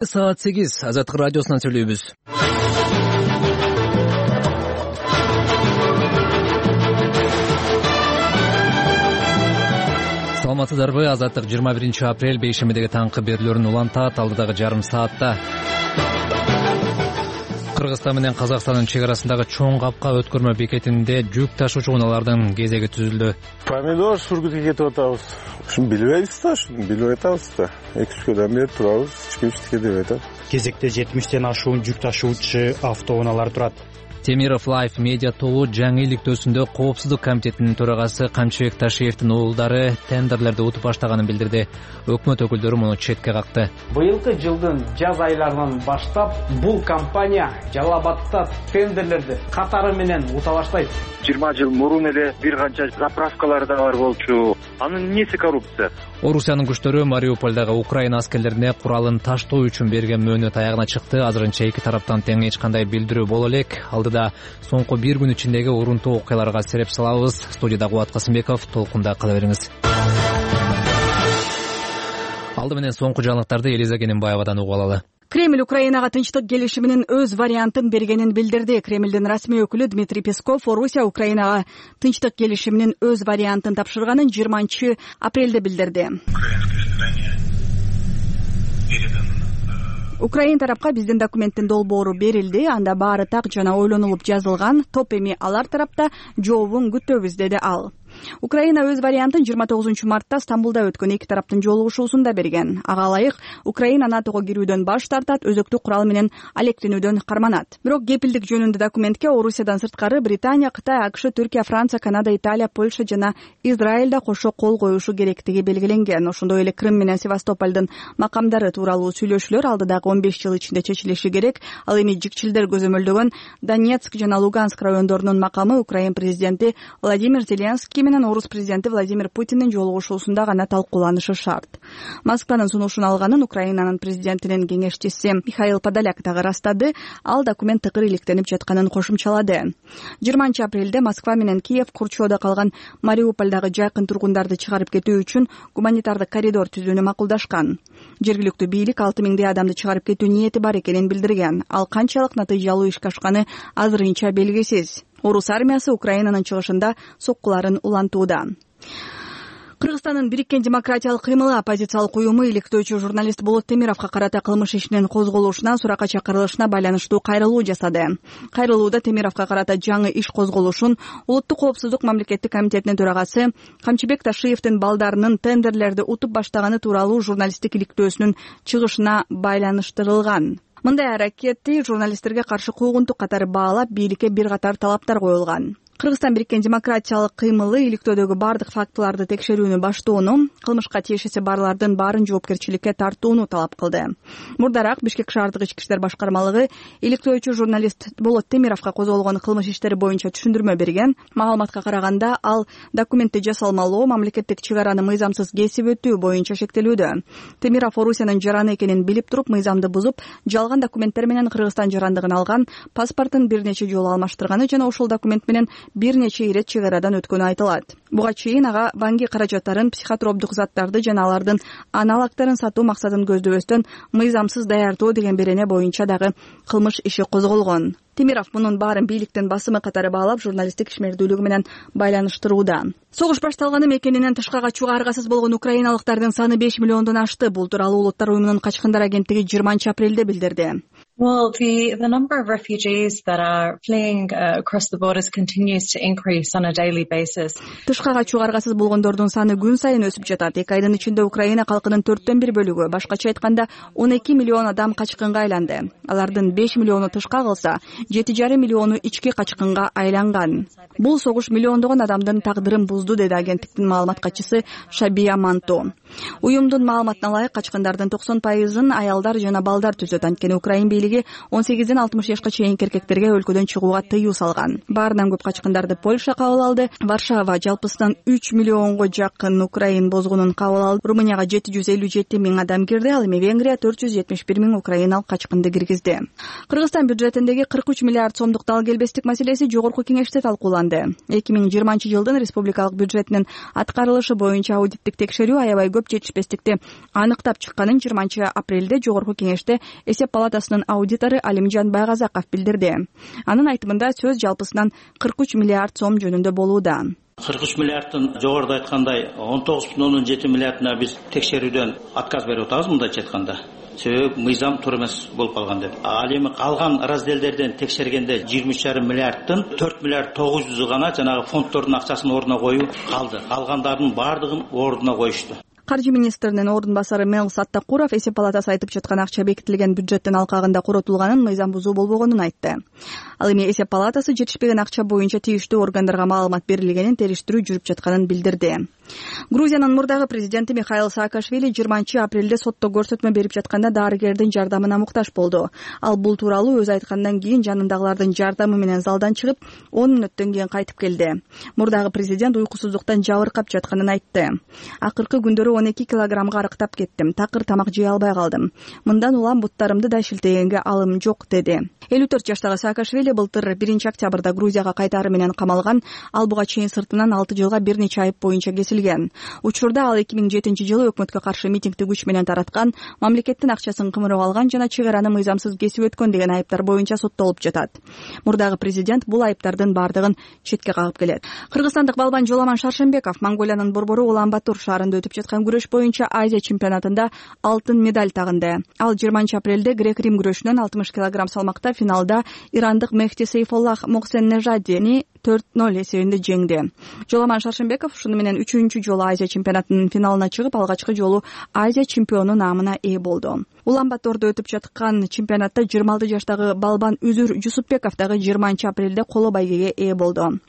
Саат 8 Азаттык радиосунан сүйлөйбүз. Саламатсыздарбы? Азаттык 21 апрель бейшембидеги таңкы берүүлөрүн улантат. Алдыдагы жарым саатта Кыргызстан менен Казакстандын чек арасындагы чоң капка өткөрмө бекетинде жүк ташуучу унаалардын кезеги түзүлдү. Помидор сургутка кетип атабыз. Ушуну билбейбиз да, билбей атабыз да. 2-3 күндөн бери турабыз, эч ким иштеке деп атат. Кезекте 70тен ашуун жүк ташуучу автоунаалар турат. Темиров Лайф медиа тобу жаңы иликтөөсүндө Коопсуздук комитетинин төрагасы Камчыбек Ташиевдин уулдары тендерлерди утуп баштаганын билдирди. Өкмөт өкүлдөрү муну четке какты. Быйылкы жылдын жаз айларынан баштап бул компания Жалал Абадта тендерлерди катары менен ута баштайт. 20 жыл мурун эле бир канча заправкалар да бар болчу. Анын эмнеси коррупция? Орусиянын күчтөрү Мариуполдагы Украина аскерлерине куралын таштоо үчүн берген мөөнөт аягына чыкты. Азырынча эки тараптан тең эч кандай билдирүү боло элек. Алдыда соңку бир күн ичиндеги урунтуу окуяларга сереп салабыз. Студияда Кубат Касымбеков, толкунда кала бериңиз. Алды менен соңку жаңылыктарды Элиза Кененбаевадан угуп алалы. Кремль Украинага тынчтык келишиминин өз вариантын бергенин билдирди. Кремлдин расмий өкүлү Дмитрий Песков Орусия Украинага тынчтык келишиминин өз вариантын тапшырганын 20 апрелде билдирди. Украин тарапка биздин документтин долбоору берилди. Анда баары так жана ойлонулуп жазылган. Топ эми алар тарапта жообун күтөбүз, деди ал. Украина өз вариантын 29 мартта Стамбулда өткөн эки тараптын жолугушуусунда берген. Ага ылайык Украина НАТОго кирүүдөн баш тартат, өзөктүк курал менен алектенүүдөн карманат. Бирок кепилдик жөнүндө документке Орусиядан сырткары Британия, Кытай, АКШ, Түркия, Франция, Канада, Италия, Польша жана Израиль да кошо кол коюшу керектиги белгиленген. Ошондой эле Крым менен Севастополдун макамдары тууралуу сүйлөшүүлөр алдыдагы 15 жыл ичинде чечилиши керек. Ал эми жикчилдер көзөмөлдөгөн Донецк жана Луганск райондорунун макамы Украин президенти Владимир Зеленский менен Орус президенти Владимир Путиндин жолугушуусунда гана талкууланышы шарт. Москванын сунушун алганын Украинанын президентинин кеңешчиси Михаил Подоляк дагы ырастады. Ал документ тыкыр иликтенип жатканын кошумчалады. 20 апрелде Москва менен Киев Курчоодо калган Мариуполдагы жайкын тургундарды чыгарып кетүү үчүн гуманитардык коридор түзүүнү макулдашкан. Жергиликтүү бийлик 6000 адамды чыгарып кетүү ниети бар экенин билдирген. Ал канчалык натыйжалуу ишке ашканы азырынча белгисиз. Орус армиясы Украинанын чыгышында соккуларын улантууда. Кыргызстандын Бириккен демократиялык кыймылы оппозициялык уюму иликтөөчү журналист Болот Темировго карата кылмыш ишинин козголушуна, суракка чакырылышына байланыштуу кайрылуу жасады. Кайрылууда Темировго карата жаңы иш козголушун Улуттук коопсуздук мамлекеттик комитетинин төрагасы Камчыбек Ташиевдин балдарынын тендерлерди утуп баштаганы тууралуу журналисттик иликтөөсүнүн чыгышына байланыштырылган. Мындай аракетти журналисттерге каршы куугунтук катары баалап, бийликке бир катар талаптар коюлган. Кыргызстан Бириккен демократиялык кыймылы иликтөөдөгү бардык фактыларды текшерүүнү баштоону, кылмышка тиешеси барлардын баарын жоопкерчиликке тартууну талап кылды. Мурдараак Бишкек шаардык ички иштер башкармалыгы иликтөөчү журналист Болот Темировго козголгон кылмыш иштери боюнча түшүндүрмө берген. Маалыматка караганда, ал документти жасалмалоо, мамлекеттик чек араны мыйзамсыз кесип өтүү боюнча шектелүүдө. Темиров Орусиянын жараны экенин билип туруп, мыйзамды бузуп, жалган документтер менен Кыргызстан жарандыгын алган, паспортун бир нече жолу алмаштырганы жана ошол документ менен бир нече ирет чек арадан өткөнү айтылат. Буга чейин ага банги каражаттарын, психотроптук заттарды жана алардын аналогдорун сатуу максатын көздөбөстөн мыйзамсыз даярдоо деген берене боюнча дагы кылмыш иши козголгон. Темиров мунун баарын бийликтин басымы катары баалап, журналисттик ишмердүүлүгү менен байланыштырууда. Согуш башталганы мекенинен тышка качууга аргасыз болгон украиналыктардын саны 5 миллиондон ашты. Бул тууралуу Улуттар уюмунун качкындар агенттиги 20 апрелде билдирди. Well, the number of refugees that are fleeing across the borders continues to increase on a daily basis. Тышка качууга аргасыз болгондордун саны күн сайын өсүп жатат. 2 айдын ичинде Украина калкынын 4/1 бөлүгү, башкача айтканда 12 миллион адам качкынга айланды. Алардын 5 миллиону тышка калса, 7,5 миллиону ички качкынга айланган. Бул согуш миллиондогон адамдын тагдырын бузду, деди агенттиктин маалымат катчысы Шабия Манто. Уюмдун маалыматына ылайык, качкындардын 90%-ын аялдар жана балдар түзөт. Анткени Украин бийлиги мамлекетиндеги 18-ден 60 жашка чейинки эркектерге өлкөдөн чыгууга тыюу салган. Баарынан көп качкындарды Польша кабыл алды. Варшава жалпысынан 3 миллионго жакын украин бозгунун кабыл алды. Румынияга 757 миң адам кирди, ал эми Венгрия 471 миң украиналык качкынды киргизди. Кыргызстан бюджетиндеги 43 миллиард сомдук дал келбестик маселеси жогорку кеңеште талкууланды. 2020-жылдын республикалык бюджетинин аткарылышы боюнча аудиттик текшерүү аябай көп жетишпестикти аныктап чыкканын 20-апрелде жогорку кеңеште эсеп палатасынын аудитору Алимжан Байгазаков билдирди. Анын айтымында сөз жалпысынан 43 миллиард сом жөнүндө болууда. 43 миллиардтын жогоруда айткандай 19,7 миллиардына биз текшерүүдөн отказ берип атабыз, мындайча айтканда. Себеби мыйзам туура эмес болуп калган деп. Ал эми калган разделдерден текшергенде 23,5 миллиардтын 4 миллиард 900 гана жанагы фонддордун акчасын ордуна коюу калды. Калгандардын баардыгын ордуна коюшту. Каржы министринин ордун басары Мел Саттакуров эсеп палатасы айтып жаткан акча бекитилген бюджеттин алкагында коротулганын, мыйзам бузуу болбогонун айтты. Ал эми эсеп палатасы жетишпеген акча боюнча тийиштүү органдарга маалымат берилгенин, териштирүү жүрүп жатканын билдирди. Грузиянын мурдагы президенти Михаил Саакашвили 20-апрелде сотто көрсөтмө берип жатканда дарыгердин жардамына муктаж болду. Ал бул тууралуу өзү айткандан кийин жанындагылардын жардамы менен залдан чыгып, 10 мүнөттөн кийин кайтып келди. Мурдагы президент уйкусуздуктан жабыркап жатканын айтты. Акыркы күндөрү 12 килограммга арыктап кеттим. Такыр тамак жей албай калдым. Мындан улам буттарымды да шилтегенге алым жок, деди. 54 жаштагы Саакашвили былтыр 1-октябрда Грузияга кайтары менен камалган. Ал буга чейин сыртынан 6 жылга бир нече айып боюнча кесилген. Учурда ал 2007-жылы өкмөткө каршы митингди күч менен тараткан, мамлекеттин акчасын кымырып алган жана чек араны мыйзамсыз кесип өткөн деген айыптар боюнча соттолуп жатат. Мурдагы президент бул айыптардын бардыгын четке кагып келет. Кыргызстандык балбан Жоламан Шаршембеков Монголиянын борбору Улан-Батор шаарында өтүп жаткан күрөш боюнча Азия чемпионатында алтын медаль тагынды. Ал 20-апрелде грек-рим күрөшүнөн 60 кг салмакта финалда ирандык Мехти Сейфоллах Моксен-Нежадини 4-0 эсебинде жеңди. Жоламан Шаршембеков ушуну менен 3-үncү жолу Азия чемпионатынын финалына чыгып, алгачкы жолу Азия чемпиону наамына ээ болду. Улан-Батордо өтүп жаткан чемпионатта 26 жаштагы балбан Үзүр Жусупбеков дагы 20-апрелде коло байгеге ээ болду.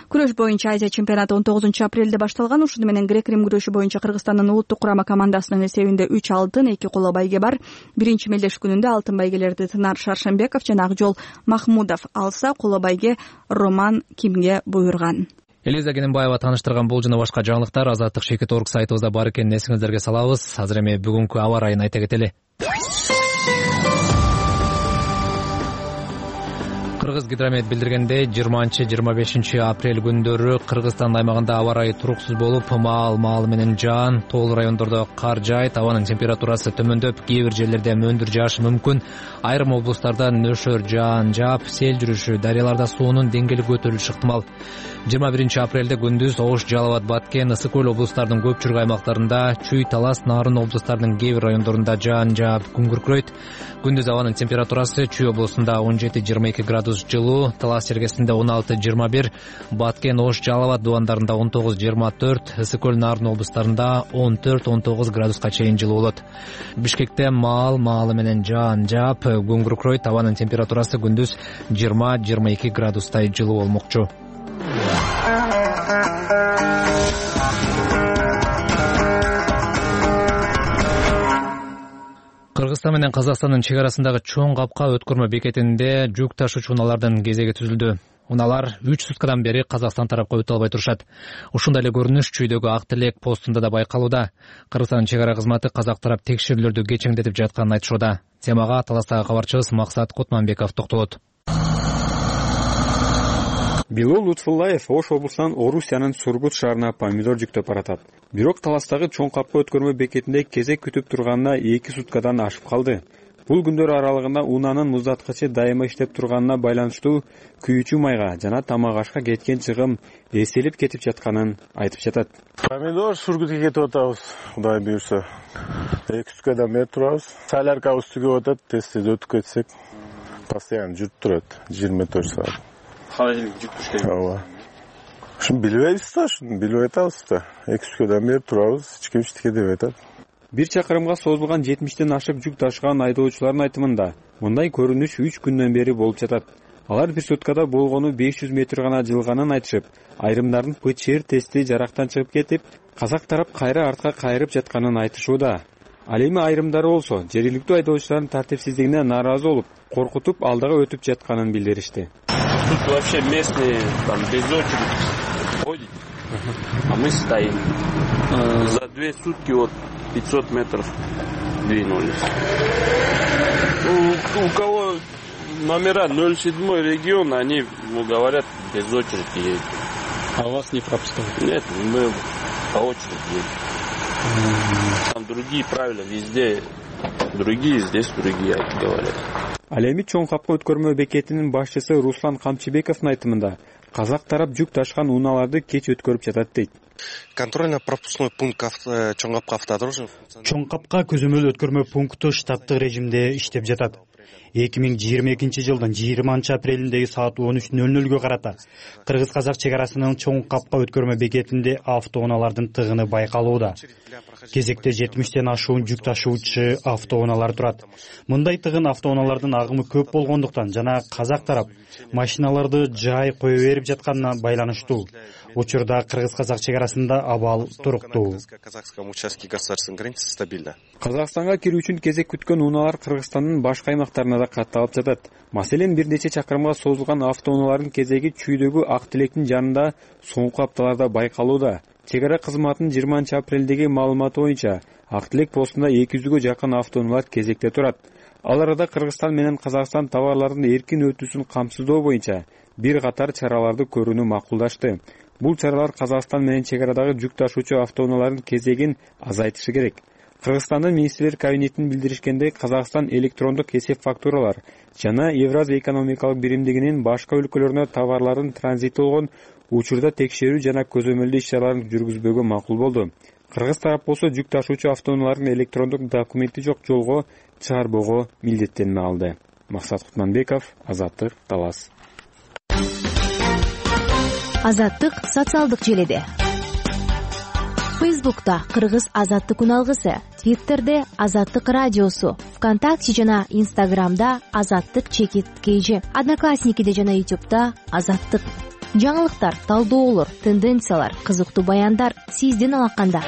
Күрөш боюнча Азия чемпионаты 19-апрелде башталган. Ушуну менен грек-рим күрөшү боюнча Кыргызстандын улуттук курама командасынын эсебинде 3 алтын, 2 коло байге бар. Биринчи мелдеш күнүндө алтын байгелерди Тынар Шаршембеков жана Акжол Махмудов алса, коло байге Роман Кимге буйрган. Элиза Кененбаева тааныштырган бул жана башка жаңылыктар Азаттык Шекет.org сайтыбызда бар экенин эсиңиздерге салабыз. Азыр эми бүгүнкү аба ырайын айта кетели. Кыргыз гидромет билдиргенде 20-25 апрель күндөрү Кыргызстан аймагында аба ырайы туруксуз болуп, маал менен жаан, тоол райондордо кар жаайт, абанын температурасы төмөндөп, кээ бир жерлерде мөндүр жаашы мүмкүн. Айрым облустарда нөшөр жаан жаап, сел жүрүшү, дарыяларда суунун деңгээли көтөрүлүшү ыктымал. 21-апрелде күндүз Ош, Жалал Абад, Баткен, Ысык Көл облустарынын көпчүлүк аймактарында, Чүй, Талас, Нарын облустарынын кээ бир райондорунда жаан жаап, күн күркүрөйт. Күндүз абанын температурасы Чүй облусунда 17-22 градус жылуу, Талас жергесинде 16-21, Баткен, Ош, Жалал Абад дубандарында 19-24, Ысык Көл, Нарын облустарында 14-19 градуска чейин жылуу болот. Бишкекте маалы менен жаан жаап, күн күркүрөйт, абанын температурасы күндүз 20-22 градустай жылуу болмокчу. Кыргызстан менен Казакстандын чек арасындагы чоң капка өткөрмө бекетинде жүк ташуучу унаалардын кезеги түзүлдү. Унаалар 3 суткадан бери Казакстан тарапка өтө албай турушат. Ушундай эле көрүнүш Чүйдөгү Ак Тилек постунда да байкалууда. Кыргызстандын чек ара кызматы казак тарап текшерүүлөрдү кечеңдетип жатканын айтышууда. Темага Таластагы кабарчыбыз Максат Кутманбеков токтолот. Билол Лутфуллаев Ош облусунан Орусиянын Сургут шаарына помидор жүктөп баратат. Бирок Таластагы чоң капка өткөрмө бекетинде кезек күтүп турганына 2 суткадан ашып калды. Бул күндөр аралыгында унаанын муздаткычы дайыма иштеп турганына байланыштуу күйүүчү майга жана тамак ашка кеткен чыгым эселип кетип жатканын айтып жатат. Помидор Сургутка кетип атабыз, Кудай буйрса. 2 суткадан бери турабыз. Соляркабыз түгөп атат, тез өтүп кетсек, постоянно жүрүп турат 24 саат. Холодильник жүктүш керек. Ооба. Шуну билбейбиз да, шуну билбей атабыз да. 2 суткадан бери турабыз, эч ким эчтеке дебей атат. 1 чакырымга созулган 70тен ашык жүк ташыган айдоочулардын айтымында мындай көрүнүш 3 күндөн бери болуп жатат. Алар 1 суткада болгону 500 метр гана жылганын айтышып, айрымдардын ПЧР тести жарактан чыгып кетип, казак тарап кайра артка кайрып жатканын айтышууда. Ал эми айрымдары болсо жергиликтүү айдоочулардын тартипсиздигине нааразы болуп, коркутуп алдыга өтүп жатканын билдиришти. Тут вообще местные там без очереди ходят, а мы стоим. За 2 сутки вот 500 метров двинулись. У кого номера 07 регион, они говорят без очереди едут. А вас не пропускают? Нет, мы по очереди едем. Там другие правила, везде другие, здесь другие говорят. Ал эми чоң капка өткөрмө бекетинин башчысы Руслан Камчыбековдун айтымында казак тарап жүк ташкан унааларды кеч өткөрүп жатат дейт. Контрольно-пропускной пункт чоң капка автодорожный. Чоң капка көзөмөл өткөрмө пункту штаттык режимде иштеп жатат. 2022 жылдын 20 апрелиндеги саат 13:00 карата кыргыз-казак чек арасынын чоң капка өткөрмө бекетинде автоунаалардын тыгыны байкалууда. Кезекте 70тен ашуун жүк ташуучу автоунаалар турат. Мындай тыгын автоунаалардын агымы көп болгондуктан жана казак тарап машиналарды жай кое берип жатканына байланыштуу. Учурда кыргыз-казак чек арасында абал туруктуу. Казакстанга кирүү үчүн кезек күткөн унаалар Кыргызстандын башка аймактарына да катталып жатат. Маселен, бир нече чакырымга созулган автоунаалардын кезеги Чүйдөгү Ак Тилектин жанында соңку апталарда байкалууда. Чек ара кызматынын 20 апрелдеги маалыматы боюнча Ак Тилек постунда 200гө жакын автоунаалар кезекте турат. Ал арада Кыргызстан менен Казакстан товарлардын эркин өтүүсүн камсыздоо боюнча бир катар чараларды көрүүнү макулдашты. Бул чаралар Казакстан менен чек арадагы жүк ташуучу автоунаалардын кезегин азайтышы керек. Кыргызстандын министрлер кабинетинин билдиришкендей, Казакстан электрондук эсеп фактуралар жана Евразия экономикалык биримдигинин башка өлкөлөрүнө товарлардын транзити болгон учурда текшерүү жана көзөмөлдөө иш-чараларын жүргүзбөгө макул болду. Кыргыз тарап болсо жүк ташуучу автоунаалардын электрондук документи жок жолго чыгарбоого милдеттенип алды. Максат Кутманбеков, Азаттык, Талас. Азаттык социалдык желеде. Фейсбукта Кыргыз Азаттык уналгысы, Твиттерде Азаттык радиосу, ВКонтакте жана Инстаграмда Азаттык _KG, Одноклассникиде жана Ютубта Азаттык. Жаңылыктар, талдоолор, тенденциялар, кызыктуу баяндар сиздин алаканда.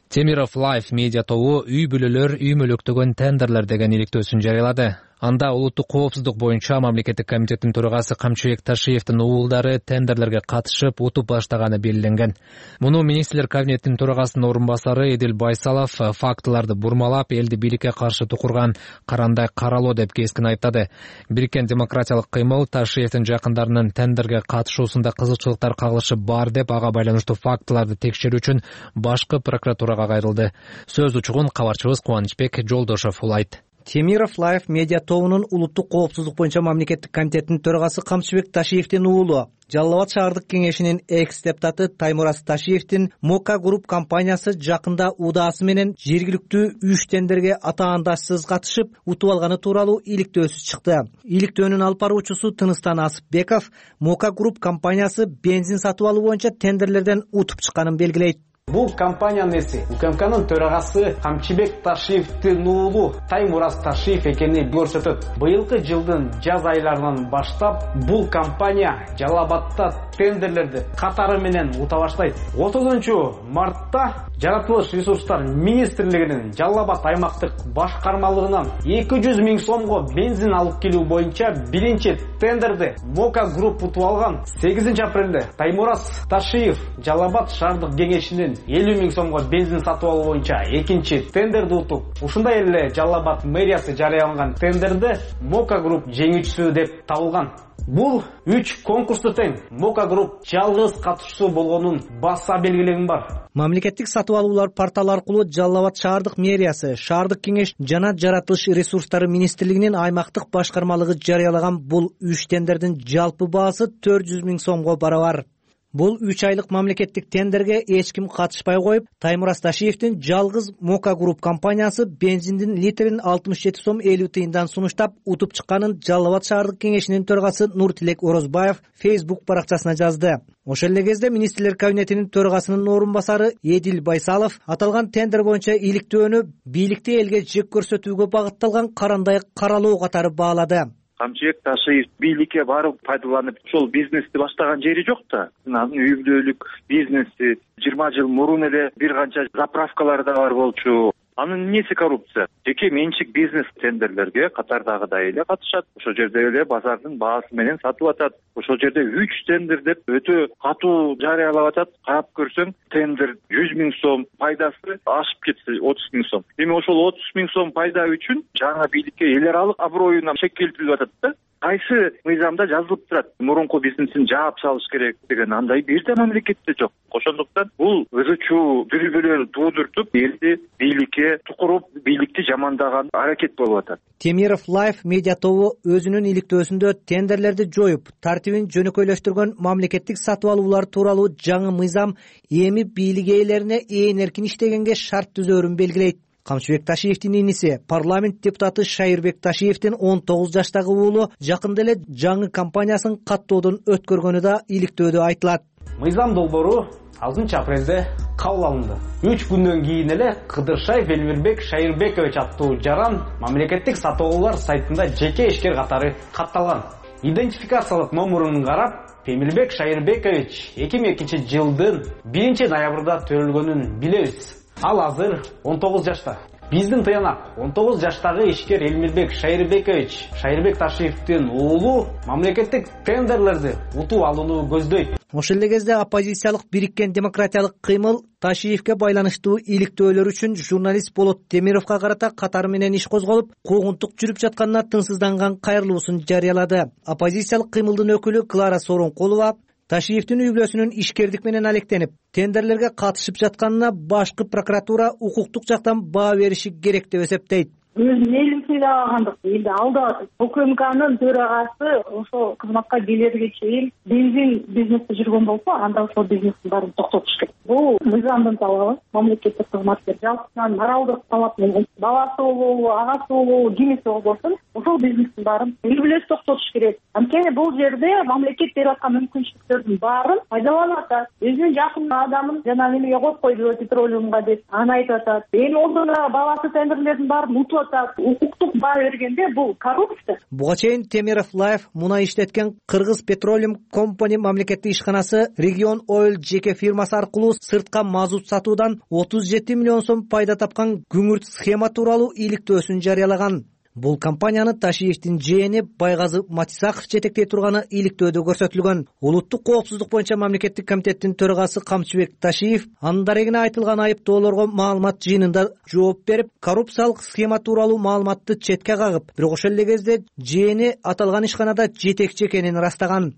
Темиров Life медиа тобу үй бүлөлөр үй мөлөктөгөн тендерлер деген иликтөөсүн жарыялады. Анда улуттук коопсуздук боюнча мамлекеттик комитеттин төрагасы Камчыбек Ташиевдин уулдары тендерлерге катышып утуп баштаганы белгиленген. Муну министрлер кабинетинин төрагасынын орун басары Эдил Байсалов фактыларды бурмалап, элди бийликке каршы тукурган карандай каралоо деп кескин айыптады. Бириккен демократиялык кыймыл Ташиевдин жакындарынын тендерге катышуусунда кызыкчылыктар кагылышы бар деп, ага байланыштуу фактыларды текшерүү үчүн башкы прокуратурага кайрылды. Сөз учугун кабарчыбыз Кубанычбек Жолдошов улайт. Темиров Life медиа тобунун улуттук коопсуздук боюнча мамлекеттик комитетинин төрагасы Камчыбек Ташиевдин уулу, Жалал Абад шаардык кеңешинин экс-депутаты Таймураз Ташиевдин Мока Груп компаниясы жакында удаасы менен жергиликтүү 3 тендерге атаандашсыз катышып, утуп алганы тууралуу иликтөөсү чыкты. Иликтөөнүн алып баруучусу Тыныстан Асыпбеков Мока Груп компаниясы бензин сатып алуу боюнча тендерлерден утуп чыкканын белгилейт. Бул компаниянын эси УКМКнын төрагасы Камчыбек Ташиевдин уулу Таймураз Ташиев экени көрсөтөт. Быйылкы жылдын жаз айларынан баштап бул компания Жалал Абадта тендерлерди катары менен ута баштайт. 30-мартта Жаратылыш ресурстар министрлигинин Жалал Абад аймактык башкармалыгынан 200 миң сомго бензин алып келүү боюнча биринчи тендерди Мока Груп утуп алган. 8 апрелде Таймураз Ташиев Жалал Абад шаардык кеңешинин 50 миң сомго бензин сатып алуу боюнча экинчи тендерди утуп, ушундай эле Жалал Абад мэриясы жарыялаган тендерди Мока Груп жеңүүчүсү деп табылган. Бул 3 конкурсту тең Мока Груп жалгыз катышуусу болгонун баса белгилегим бар. Мамлекеттик сатып алуулар порталы аркылуу Жалал Абад шаардык мэриясы, шаардык кеңеш жана Жаратылыш ресурстары министрлигинин аймактык башкармалыгы жарыялаган бул 3 тендердин жалпы баасы 400 миң сомго барабар. Бул 3 айлык мамлекеттик тендерге эч ким катышпай коюп, Таймураз Ташиевдин жалгыз Мока Груп компаниясы бензиндин литрин 67 сом 50 тыйындан сунуштап утуп чыкканын Жалал Абад шаардык кеңешинин төрагасы Нуртилек Орозбаев Facebook баракчасына жазды. Ошол эле кезде министрлер кабинетинин төрагасынын орун басары Эдил Байсалов аталган тендер боюнча иликтөөнү бийликти элге жек көрсөтүүгө багытталган карандай каралоо катары баалады. Камчыбек Ташиев бийликке барып пайдаланып ошол бизнести баштаган жери жок да. Анын үй бүлөлүк бизнеси 20 жыл мурун эле бир канча заправкалар да бар болчу. Анын эмнеси коррупция? Жеке менчик бизнес тендерлерге катардагыдай эле катышат. Ошол жерде эле базардын баасы менен сатып атат. Ошол жерде 3 тендер деп өтө катуу жарыялап атат. Карап көрсөң, тендер 100 000 сом, пайдасы ашып кетсе 30 000 сом. Эми ошол 30 000 сом пайда үчүн жаңы бийликке эл аралык аброюна шек келтирип атат да. Кайсы мыйзамда жазылып турат? Мурунку бизнесин жаап салыш керек деген андай бир да мамлекетте жок. Ошондуктан бул ызычуу дүрбөлөр туудуртуп, элди бийликке тукуруп, бийликти жамандаган аракет болуп атат. Темиров Life медиа тобу өзүнүн иликтөөсүндө тендерлерди жоюп, тартибин жөнөкөйлөштүргөн мамлекеттик сатып алуулар тууралуу жаңы мыйзам эми бийлик ээлерине ээн эркин иштегенге шарт түзөөрүн белгилейт. Камчыбек Ташиевдин иниси, парламент депутаты Шайырбек Ташиевдин 19 жаштагы уулу жакында эле жаңы компаниясын каттоодон өткөргөнү да иликтөөдө айтылат. Мыйзам долбоору 6 апрелде кабыл алынды. 3 күндөн кийин эле Кыдыршаев Элмирбек Шайырбекович аттуу жаран мамлекеттик сатып алуулар сайтында жеке ишкер катары катталган. Идентификациялык номурун карап, Эмирбек Шайырбекович 2002 жылдын 1 ноябрда төрөлгөнүн билебиз. Ал азыр 19 жашта. Биздин тыянак 19 жаштагы ишкер Элмирбек Шайырбекович Шайырбек Ташиевдин уулу мамлекеттик тендерлерди утуп алууну көздөйт. Ошол эле кезде оппозициялык бириккен демократиялык кыймыл Ташиевке байланыштуу иликтөөлөр үчүн журналист Болот Темировго карата катары менен иш козголуп, куугунтук жүрүп жатканына тынчсызданган кайрылуусун жарыялады. Оппозициялык кыймылдын өкүлү Клара Сооронкулова Ташиевдин үй бүлөсүнүн ишкердик менен алектенип, тендерлерге катышып жатканына башкы прокуратура укуктук жактан баа бериши керек деп эсептейт. Өзүнүн элин сыйлагандык, элди алдап атат. УКМКнын төрагасы ошол кызматка келерге чейин бензин бизнесте жүргөн болсо, анда ошол бизнестин баарын токтотуш керек. Бул мыйзамдын талабы, мамлекеттик кызматкер жалпысынан моралдык талап менен баласы болобу, агасы болобу, кимиси болбосун, ошол бизнестин баарын үй бүлөсү токтотуш керек. Анткени бул жерде мамлекет берип аткан мүмкүнчүлүктөрдүн баарын пайдаланып атат. Өзүнүн жакын адамын жана немеге коюп койду, петролиумга деп аны айтып атат. Эми олдуна баласы тендерлердин баарын утуп атат. Укуктук баа бергенде бул коррупция. Буга чейин Темиров Life мунай иштеткен Кыргыз Petroleum Company мамлекеттик ишканасы Region Oil жеке фирмасы аркылуу сыртка мазут сатуудан 37 миллион сом пайда тапкан күңүрт схема тууралуу иликтөөсүн жарыялаган. Бул компанияны Ташиевдин жээни Байгазы Матисаков жетектей турганы иликтөөдө көрсөтүлгөн. Улуттук коопсуздук боюнча мамлекеттик комитеттин төрагасы Камчыбек Ташиев анын дарегине айтылган айыптоолорго маалымат жыйынында жооп берип, коррупциялык схема тууралуу маалыматты четке кагып, бирок ошол эле кезде жээни аталган ишканада жетекчи экенин ырастаган.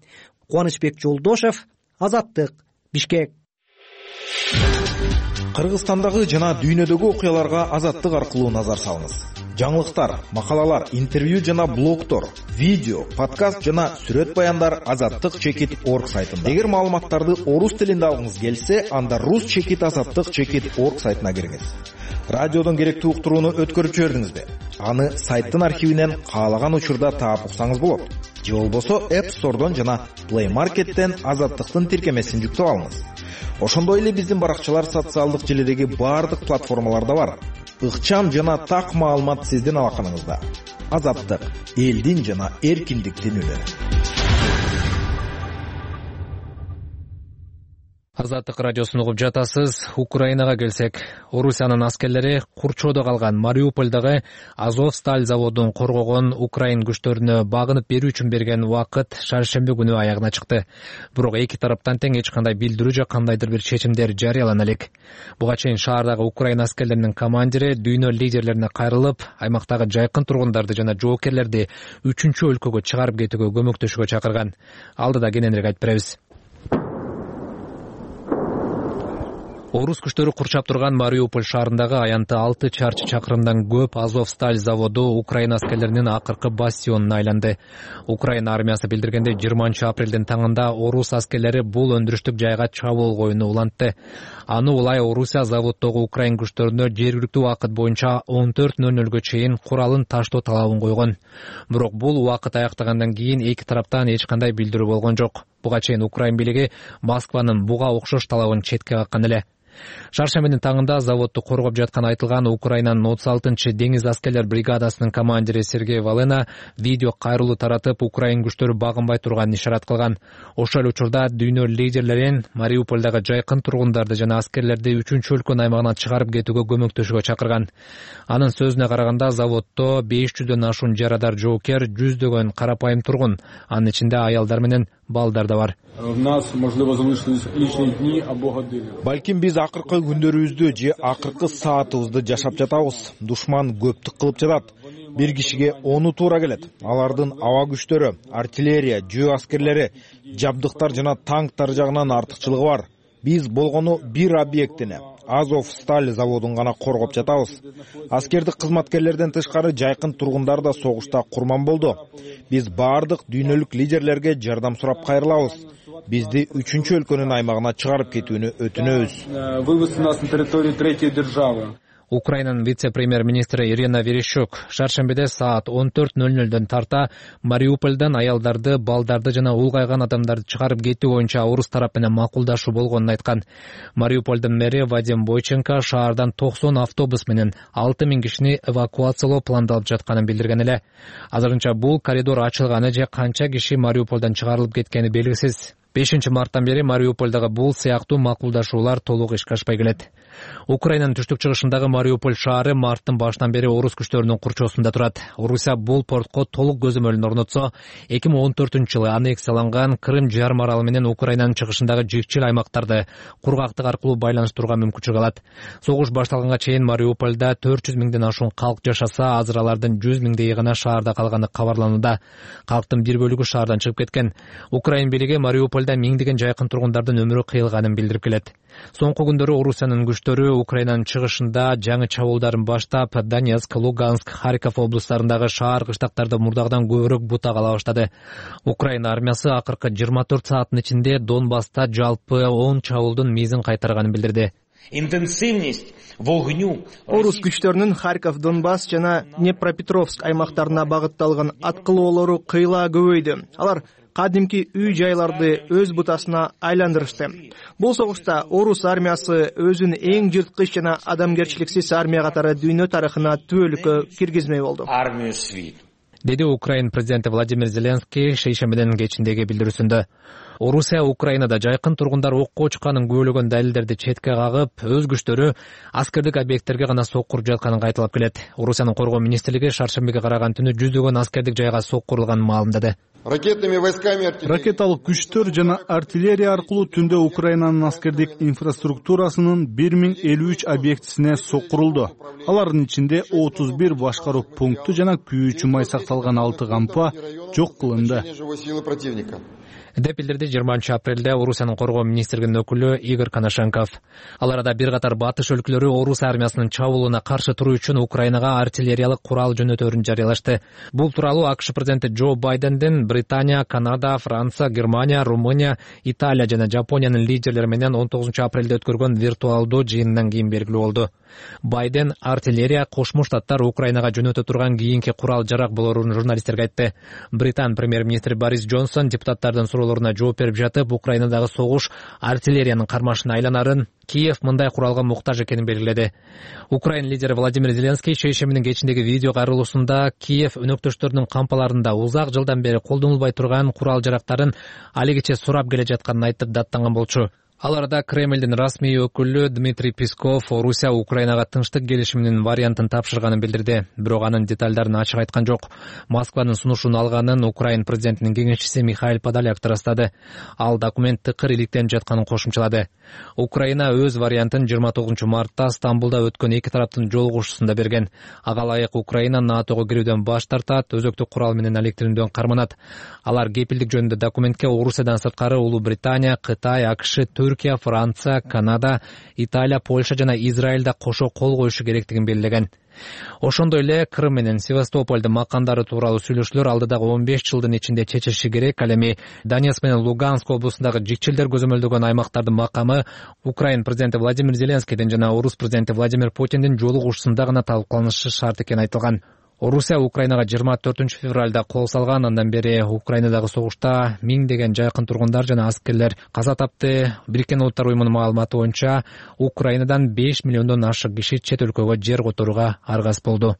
Кубанычбек Жолдошев, Азаттык, Бишкек. Кыргызстандагы жана дүйнөдөгү окуяларга Азаттык аркылуу назар салыңыз. Жаңылыктар, макалалар, интервью жана блогтор, видео, подкаст жана сүрөт баяндар azattik.org сайтында. Эгер маалыматтарды орус тилинде алгыңыз келсе, анда rus.azattik.org сайтына кириңиз. Радиодон керектүү уктурууну өткөрүп жибердиңизби? Аны сайттын архивинен каалаган учурда таап уксаңыз болот. Же болбосо App Store'дон жана Play Market'тен Азаттыктын тиркемесин жүктөп алыңыз. Ошондой эле биздин баракчалар социалдык желидеги баардык платформаларда бар. Ыкчам жана так маалымат сиздин алаканыңызда. Азаттык, элдин жана эркиндиктин үнү. Азаттык радиосун угуп жатасыз. Украинага келсек, Орусиянын аскерлери курчоодо калган Мариупольдагы Азовсталь заводун коргогон Украин күчтөрүнө багынып берүү үчүн берген убакыт шаршемби күнү аягына чыкты. Бирок эки тараптан тең эч кандай билдирүү же кандайдыр бир чечимдер жарыялана элек. Буга чейин шаардагы Украин аскерлеринин командири дүйнө лидерлерине кайрылып, аймактагы жайкын тургундарды жана жоокерлерди 3-чү өлкөгө чыгарып кетүүгө көмөктөшүүгө чакырган. Алдыда кененирээк айтып беребиз. Орус күчтөрү курчап турган Мариуполь шаарындагы аянты 6 чарчы чакырымдан көп Азовсталь заводу Украин аскерлеринин акыркы бастионуна айланды. Украина армиясы билдиргендей 20 апрелдин таңында орус аскерлери бул өндүрүштүк жайга чабуул коюуну улантты. Аны улай Орусия заводдогу Украин күчтөрүнө жергиликтүү убакыт боюнча 14:00 чейин куралын таштоо талабын койгон. Бирок бул убакыт аяктагандан кийин эки тараптан эч кандай билдирүү болгон жок. Буга чейин Украин бийлиги Москванын буга окшош талабын четке каккан эле. Шаршембинин таңында заводду коргоп жатканы айтылган Украинанын 36-деңиз аскерлер бригадасынын командири Сергей Валена видео кайрылуу таратып, Украин күчтөрү багынбай турганын ишарат кылган. Ошол учурда дүйнө лидерлерин Мариупольдагы жайкын тургундарды жана аскерлерди 3-өлкөнүн аймагынан чыгарып кетүүгө көмөктөшүүгө чакырган. Анын сөзүнө караганда, заводдо 500дөн ашуун жарадар жоокер, 100дөгөн карапайым тургун, анын ичинде аялдар менен балдар да бар. Балким биз акыркы күндөрүбүздү же акыркы саатыбызды жашап жатабыз. Душман көптүк кылып жатат. Бир кишиге 10 туура келет. Алардын аба күчтөрү, артиллерия, жөө аскерлери, жабдыктар жана танктар жагынан артыкчылыгы бар. Биз болгону бир объектини, Азовсталь заводун гана коргоп жатабыз. Аскердик кызматкерлерден тышкары жайкын тургундар да согушта курман болду. Биз баардык дүйнөлүк лидерлерге жардам сурап кайрылабыз. Бизди 3-өлкөнүн аймагына чыгарып кетүүнү өтүнөбүз. Вывести нас на территорию третьей державы. Украинанын вице-премьер-министри Ирина Верещук шаршембиде саат 14:00дөн тарта Мариупольдон аялдарды, балдарды жана улгайган адамдарды чыгарып кетүү боюнча орус тарап менен макулдашуу болгонун айткан. Мариупольдун мэри Вадим Бойченко шаардан 90 автобус менен 6000 кишини эвакуациялоо пландалып жатканын билдирген эле. Азырынча бул коридор ачылганы же канча киши Мариупольдон чыгарылып кеткени белгисиз. 5-марттан бери Мариупольдагы бул сыяктуу макулдашуулар толук ишке ашпай келет. Украинанын түштүк-чыгышындагы Мариуполь шаары марттын башынан бери орус күчтөрүнүн курчоосунда турат. Орусия бул портко толук көзөмөлүн орнотсо, 2014-жылы аннексияланган Крым жарым аралы менен Украинанын чыгышындагы жикчил аймактарды кургактык аркылуу байланыштырууга мүмкүнчүлүк алат. Согуш башталганга чейин Мариупольда 400 миңден ашуун калк жашаса, азыр алардын 100 миңдей гана шаарда калганы кабарланууда. Калктын бир бөлүгү шаардан чыгып кеткен. Украин бийлиги Мариупольда миңдеген жайкын тургундардын өмүрү кыйылганын билдирип келет. Соңку күндөрү Орусиянын күчтөрү Украинанын чыгышында жаңы чабуулдарын баштап, Донецк, Луганск, Харьков облустарындагы шаар кыштактарды мурдагыдан көбүрөөк бутак ала баштады. Украина армиясы акыркы 24 сааттын ичинде Донбасста жалпы 10 чабуулдун мизин кайтарганын билдирди. Орус күчтөрүнүн Харьков, Донбасс жана Днепропетровск аймактарына багытталган аткылоолору кыйла көбөйдү. Алар кадимки үй жайларды өз бутасына айландырышты. Бул согушта орус армиясы өзүн эң жырткыч жана адамгерчиликсиз армия катары дүйнө тарыхына түбөлүккө киргизмей болду, деди Украин президенти Владимир Зеленский шейшембинин кечиндеги билдирүүсүндө. Орусия Украинада жайкын тургундар окко чыкканын күбөлөгөн далилдерди четке кагып, өз күчтөрү аскердик объекттерге гана соккуруп жатканын кайталап келет. Орусиянын коргоо министрлиги шаршембиге караган түнү 100дөгөн аскердик жайга соккурулганын маалымдады. Ракеталык күчтөр жана артиллерия аркылуу түндө Украинанын аскердик инфраструктурасынын 1053 объектисине соккурулду. Алардын ичинде 31 башкаруу пункту жана күйүүчү май сакталган 6 кампа жок кылынды, деп билдирди 20-апрелде Орусиянын коргоо министрлигинин өкүлү Игорь Коношенков. Ал арада бир катар батыш өлкөлөрү Орус армиясынын чабуулуна каршы туруу үчүн Украинага артиллериялык курал жөнөтөөрүн жарыялашты. Бул тууралуу АКШ президенти Джо Байдендин Британия, Канада, Франция, Германия, Румыния, Италия жана Жапониянын лидерлери менен 19-апрелде өткөргөн виртуалдуу жыйынынан кийин белгилүү болду. Байден артиллерия Кошмо Штаттар Украинага жөнөтө турган кийинки курал жарак болоорун журналисттерге айтты. Британ премьер-министри Борис Джонсон депутаттардын суроолоруна жооп берип жатып, Украинадагы согуш артиллериянын кармашына айланарын, Киев мындай куралга муктаж экенин белгиледи. Украин лидери Владимир Зеленский шейшембинин кечиндеги видео кайрылуусунда Киев өнөктөштөрүнүн кампаларында узак жылдан бери колдонулбай турган курал жарактарын алигиче сурап келе жатканын айтып даттанган болчу. Ал арада Кремлдин расмий өкүлү Дмитрий Песков Орусия Украинага тынчтык келишиминин вариантын тапшырганын билдирди, бирок анын деталдарын ачык айткан жок. Москванын сунушун алганын Украин президентинин кеңешчиси Михаил Подоляк ырастады. Ал документ тыкыр иликтенип жатканын кошумчалады. Украина өз вариантын 29 мартта Стамбулда өткөн эки тараптын жолугушуусунда берген. Ага ылайык Украина НАТОго кирүүдөн баш тартат, өзөктүк курал менен алектирүүдөн карманат. Алар кепилдик жөнүндө документке Орусиядан сырткары Улуу Британия, Кытай, АКШ, Түркия, Франция, Канада, Италия, Польша жана Израилда кошо кол коюшу керектигин белгилеген. Ошондой эле Крым менен Севастополдун макандары тууралуу сүйлөшүүлөр алдыдагы 15 жылдын ичинде чечилиши керек. Ал эми Донецк менен Луганск облусундагы жикчилдер көзөмөлдөгөн аймактардын макамы Украин президенти Владимир Зеленскийдин жана орус президенти Владимир Путиндин жолугушуусунда гана талкууланышы шарт экени айтылган. Орусия Украинага 24-февралда кол салган. Андан бери Украинадагы согушта миңдеген жакын тургундар жана аскерлер каза тапты. Бириккен Улуттар уюмунун маалыматы боюнча Украинадан 5 миллиондон ашык киши чет өлкөгө жер которууга аргас болду.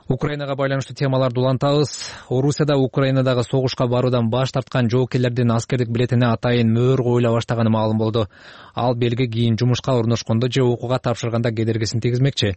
Украинага байланыштуу темаларды улантабыз. Орусияда Украинадагы согушка баруудан баш тарткан жоокерлердин аскердик билетине атайын мөөр коюла баштаганы маалым болду. Ал белги кийин жумушка орношкондо же окууга тапшырганда кедергисин тийгизмекчи.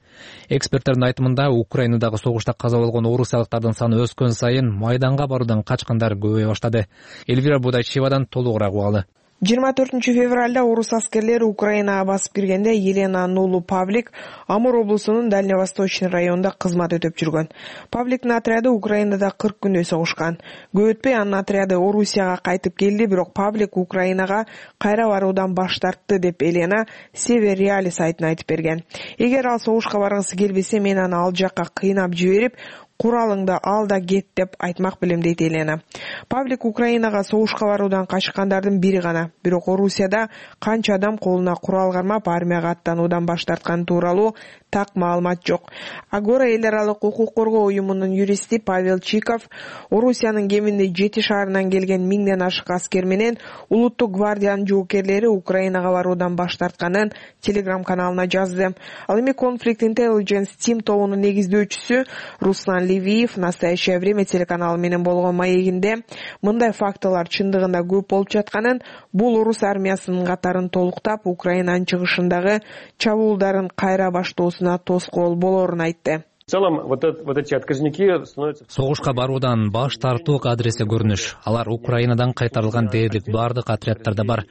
Эксперттердин айтымында Украинадагы согушта каза болгон орусиялыктардын саны өскөн сайын майданга баруудан качкандар көбөйө баштады. Эльвира Будайчевадан толугураак угалы. 24-февралда орус аскерлери Украинага басып киргенде Елена Нулу Павлик Амур облусунун Дальневосточный районунда кызмат өтөп жүргөн. Павликтин отряды Украинада 40 күндөй согушкан. Көп өтпөй анын отряды Орусияга кайтып келди, бирок Павлик Украинага кайра баруудан баш тартты деп Елена Север Реали сайтына айтып берген. Эгер ал согушка баргысы келбесе, мен аны ал жакка кыйнап жиберип, куралыңды ал да кет деп айтмак белем, дейт Елена. Павлик Украинага согушка баруудан качкандардын бири гана. Бирок Орусияда канча адам колуна курал кармап армияга аттануудан баш тартканы тууралуу так маалымат жок. Агора эл аралык укук коргоо уюмунун юристи Павел Чиков Орусиянын кеминде 7 шаарынан келген 1000ден ашык аскер менен улуттук гвардиянын жоокерлери Украинага баруудан баш тартканын телеграм-каналына жазды. Ал эми Conflict Intelligence Team тобунун негиздөөчүсү Руслан Левиев «Настоящее время» телеканалы менен болгон маегинде мындай фактылар чындыгында көп болуп жатканын, бул орус армиясынын катарын толуктап, Украинанын чыгышындагы чабуулдарын кайра баштоосуна тоскоол болорун айтты. В целом, вот эти отказники становятся... Согушка баруудан баш тартуу адреси көрүнүш. Алар Украинадан кайтарылган дээрлик бардык отрядтарда бар.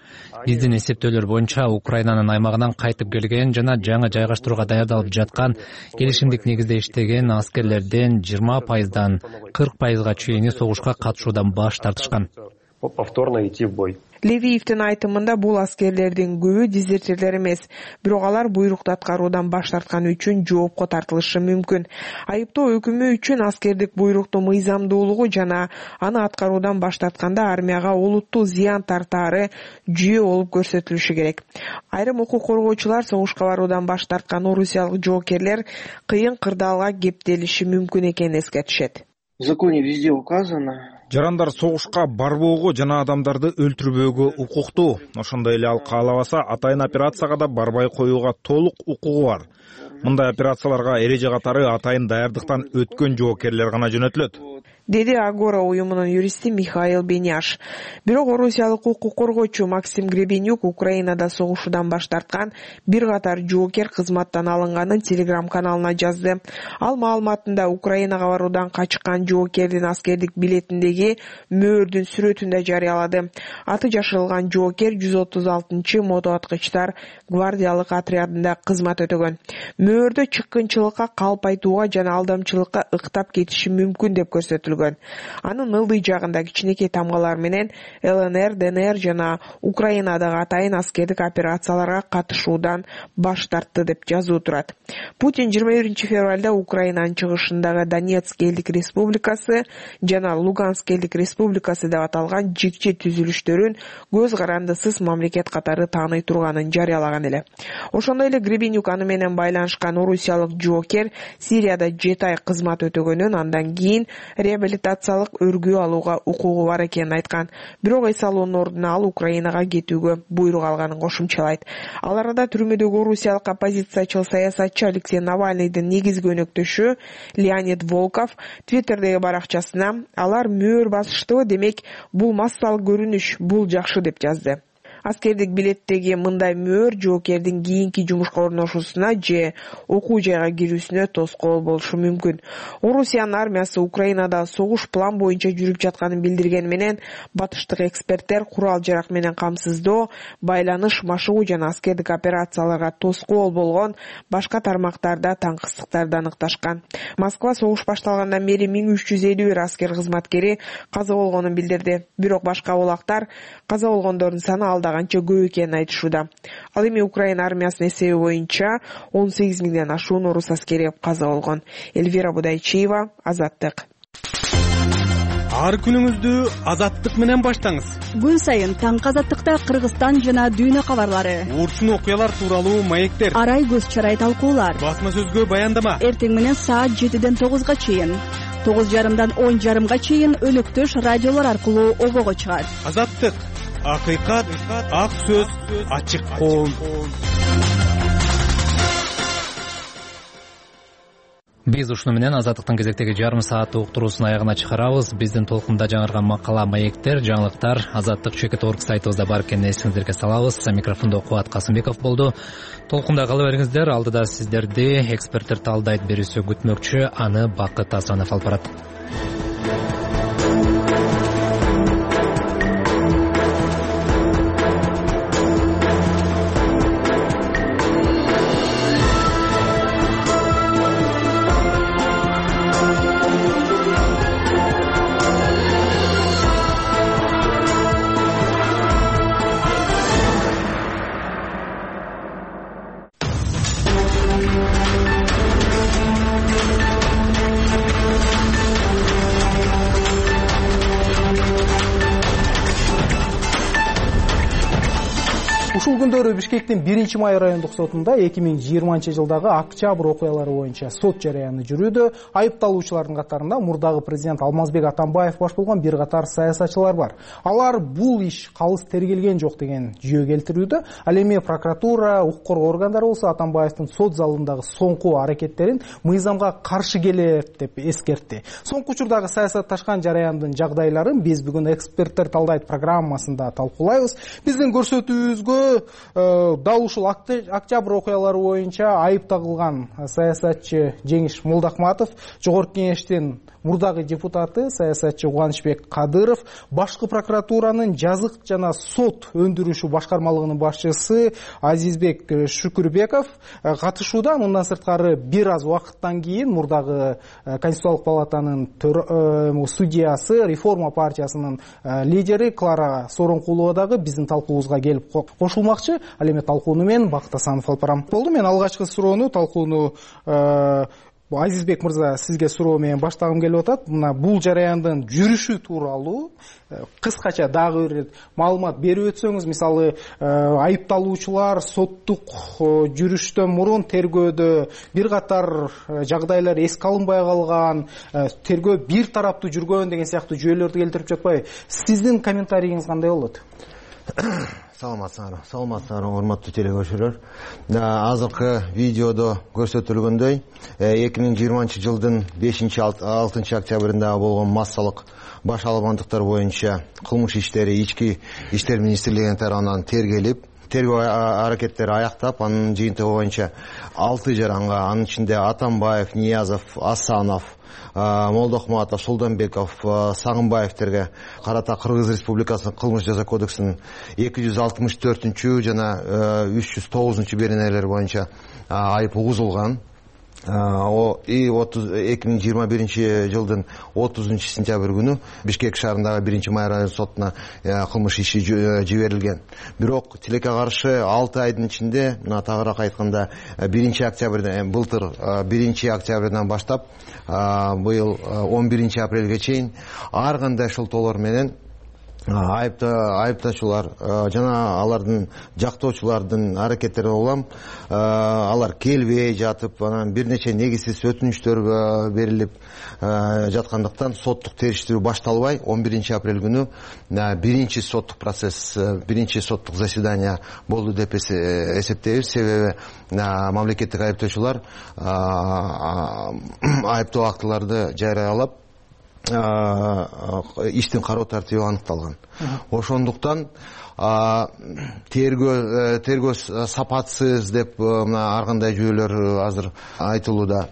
Биздин эсептөөлөр боюнча Украинанын аймагынан кайтып келген жана жаңы жайгаштырууга даярдалып жаткан келишимдик негизде иштеген аскерлерден 20%дан 40%га чейин согушка катышуудан баш тартышкан. Повторно идти в бой. Левиевдин айтымында бул аскерлердин көбү дезертирлер эмес, бирок алар буйрукту аткаруудан баш тартканы үчүн жоопко тартылышы мүмкүн. Айыптоо өкүмү үчүн аскердик буйруктун мыйзамдуулугу жана аны аткаруудан баш тартканда армияга олуттуу зыян тартаары жүйө болуп көрсөтүлүшү керек. Айрым укук коргоочулар согушка баруудан баш тарткан орусиялык жоокерлер кыйын кырдаалга кептелиши мүмкүн экенин эскертишет. В законе везде указано. Жарандар согушка барбоого жана адамдарды өлтүрбөөгө укуктуу. Ошондой эле ал каалабаса атайын операцияга да барбай коюуга толук укугу бар. Мындай операцияларга эреже катары атайын даярдыктан өткөн жоокерлер гана жөнөтүлөт, деди Агора уюмунун юристи Михаил Беняш. Бирок орусиялык укук коргоочу Максим Гребенюк Украинада согушуудан баш тарткан бир катар жоокер кызматтан алынганын телеграм-каналына жазды. Ал маалыматында Украинага баруудан качкан жоокердин аскердик билетиндеги мөөрдүн сүрөтүн да жарыялады. Аты жашырылган жоокер 136 мотоаткычтар гвардиялык отрядында кызмат өтөгөн. Мөөрдө чыккынчылыкка калп айтууга жана алдамчылыкка ыктап кетиши мүмкүн деп көрсөтүлгөн. Анын ылдый жагында кичинекей тамгалар менен ЛНР, ДНР жана Украинадагы атайын аскердик операцияларга катышуудан баш тартты деп жазуу турат. Путин 21-февралда Украинанын чыгышындагы Донецк элдик республикасы жана Луганск элдик республикасы деп аталган жикчи түзүлүштөрүн көз карандысыз мамлекет катары тааный турганын жарыялаган эле. Ошондой эле Гребенюк аны менен байланышкан орусиялык жоокер Сирияда 7 ай кызмат өтөгөнүн, андан кийин реабилитациялык өргүү алууга укугу бар экенин айткан. Бирок эс алуунун ордуна ал Украинага кетүүгө буйрук алганын кошумчалайт. Ал арада түрмөдөгү орусиялык оппозициячыл саясатчы Алексей Навальныйдын негизги өнөктөшү Леонид Волков Твиттердеги баракчасына алар мөөр басыштыбы, демек бул массалык көрүнүш, бул жакшы деп жазды. Аскердик билеттеги мындай мөөр жоокердин кийинки жумушка орношуусуна же окуу жайга кирүүсүнө тоскоол болушу мүмкүн. Орусиянын армиясы Украинада согуш план боюнча жүрүп жатканын билдирген менен батыштык эксперттер курал жарак менен камсыздоо, байланыш, машыгуу жана аскердик операцияларга тоскоол болгон башка тармактарда таңкыстыктарды аныкташкан. Москва согуш башталгандан бери 1351 аскер кызматкери каза болгонун билдирди. Бирок башка булактар каза болгондордун саны канча көп экенин айтышууда. Ал эми Украина армиясынын эсеби боюнча 18 000ден ашуун орус аскери каза болгон. Эльвира Будайчиева, Азаттык. ар күнүңүздү Азаттык менен баштаңыз. Күн сайын таңкы Азаттыкта Кыргызстан жана дүйнө кабарлары, урчун окуялар тууралуу маектер, арай көз чарай талкуулар, басма сөзгө баяндама. Эртең менен саат 7ден 9га чейин, 9:30дан 10:30га чейин өнөктөш радиолор аркылуу обого чыгат. Азаттык, акыйкат, ак сөз, ачык коом. Биз ушуну менен Азаттыктын кезектеги жарым сааттык уктуруусун аягына чыгарабыз. Биздин толкунда жаңырган макала, маектер, жаңылыктар Азаттык чекит орг сайтыбызда бар экенин эсиңиздерге салабыз. Микрофондо Кубат Касымбеков болду. Толкунда кала бериңиздер. Алдыда сиздерди эксперттер талдайт берүүсү күтмөкчү. Аны Бакыт Асанов алып барат. Ушул күндөрү Бишкектин 1-май райондук сотунда 2020-жылдагы октябрь окуялары боюнча сот жарыяны жүрүүдө. Айыпталуучулардын катарында мурдагы президент Алмазбек Атамбаев баш болгон бир катар саясатчылар бар. Алар бул иш калыс тергелген жок деген жүйө келтирүүдө. Ал эми прокуратура, укук коргоо органдары болсо Атамбаевдин сот залындагы соңку аракеттерин мыйзамга каршы келет деп эскертти. Соңку учурдагы саясатташкан жараяндын жагдайларын биз бүгүн эксперттер талдайт программасында талкуулайбыз. Биздин көрсөтүүбүзгө дал ушул октябрь окуялары боюнча айып тагылган саясатчы Жеңиш Молдахматов, Жогорку Кеңештин мурдагы депутаты саясатчы Кубанычбек Кадыров, башкы прокуратуранын жазык жана сот өндүрүшү башкармалыгынын башчысы Азизбек Шүкүрбеков катышууда. Мындан сырткары бир аз убакыттан кийин мурдагы Конституциялык палатанын судьясы, Реформа партиясынын лидери Клара Сооронкулова дагы биздин талкуубузга келип кошулмакчы. Ал эми талкууну мен Бакыт Асанов алып барам. Болду, мен алгачкы суроону, талкууну Азизбек мырза сизге суроо менен баштагым келип атат. Мына бул жараяндын жүрүшү тууралуу кыскача дагы бир маалымат берип өтсөңүз. Мисалы, айыпталуучулар соттук жүрүштөн мурун тергөөдө бир катар жагдайлар эске алынбай калган, тергөө бир тараптуу жүргөн деген сыяктуу жүйөлөрдү келтирип жатпайбы? Сиздин комментарийиңиз кандай болот? Саламатсыңар, урматтуу телекөрүүчүлөр. Азыркы видеодо көрсөтүлгөндөй 2020-жылдын 5-6 октябрында болгон массалык баш албандыктар боюнча кылмыш иштери Ички иштер министрлигинин тарабынан тергелип, тергөө аракеттери аяктап, анын жыйынтыгы боюнча 6 жаранга, анын ичинде Атамбаев, Ниязов, Асанов, Молдохматов, Сулданбеков, Сагынбаевтерге карата Кыргыз Республикасынын кылмыш жаза кодексинин 264 жана 309 беренелер боюнча айып угузулган. 2021-жылдын 30 сентябрь күнү Бишкек шаарындагы 1-май район сотуна кылмыш иши жиберилген. Бирок тилекке каршы 6 айдын ичинде, тагыраак айтканда 1-октябрдан, былтыр 1-октябрдан баштап быйыл 11-апрелге чейин ар кандай шылтоолор менен айыптачулар жана алардын жактоочулардын аракеттери улам алар келбей жатып, анан бир нече негизсиз өтүнүчтөр берилип жаткандыктан соттук териштирүү башталбай 11-апрель күнү биринчи соттук процесс, биринчи соттук заседание болду деп эсептейбиз. Себеби мамлекеттик айыптоочулар айыптоо актыларды жарыялап иштин кароо тартиби аныкталган. Ошондуктан тергөө сапатсыз деп ар кандай жүйөлөр азыр айтылууда.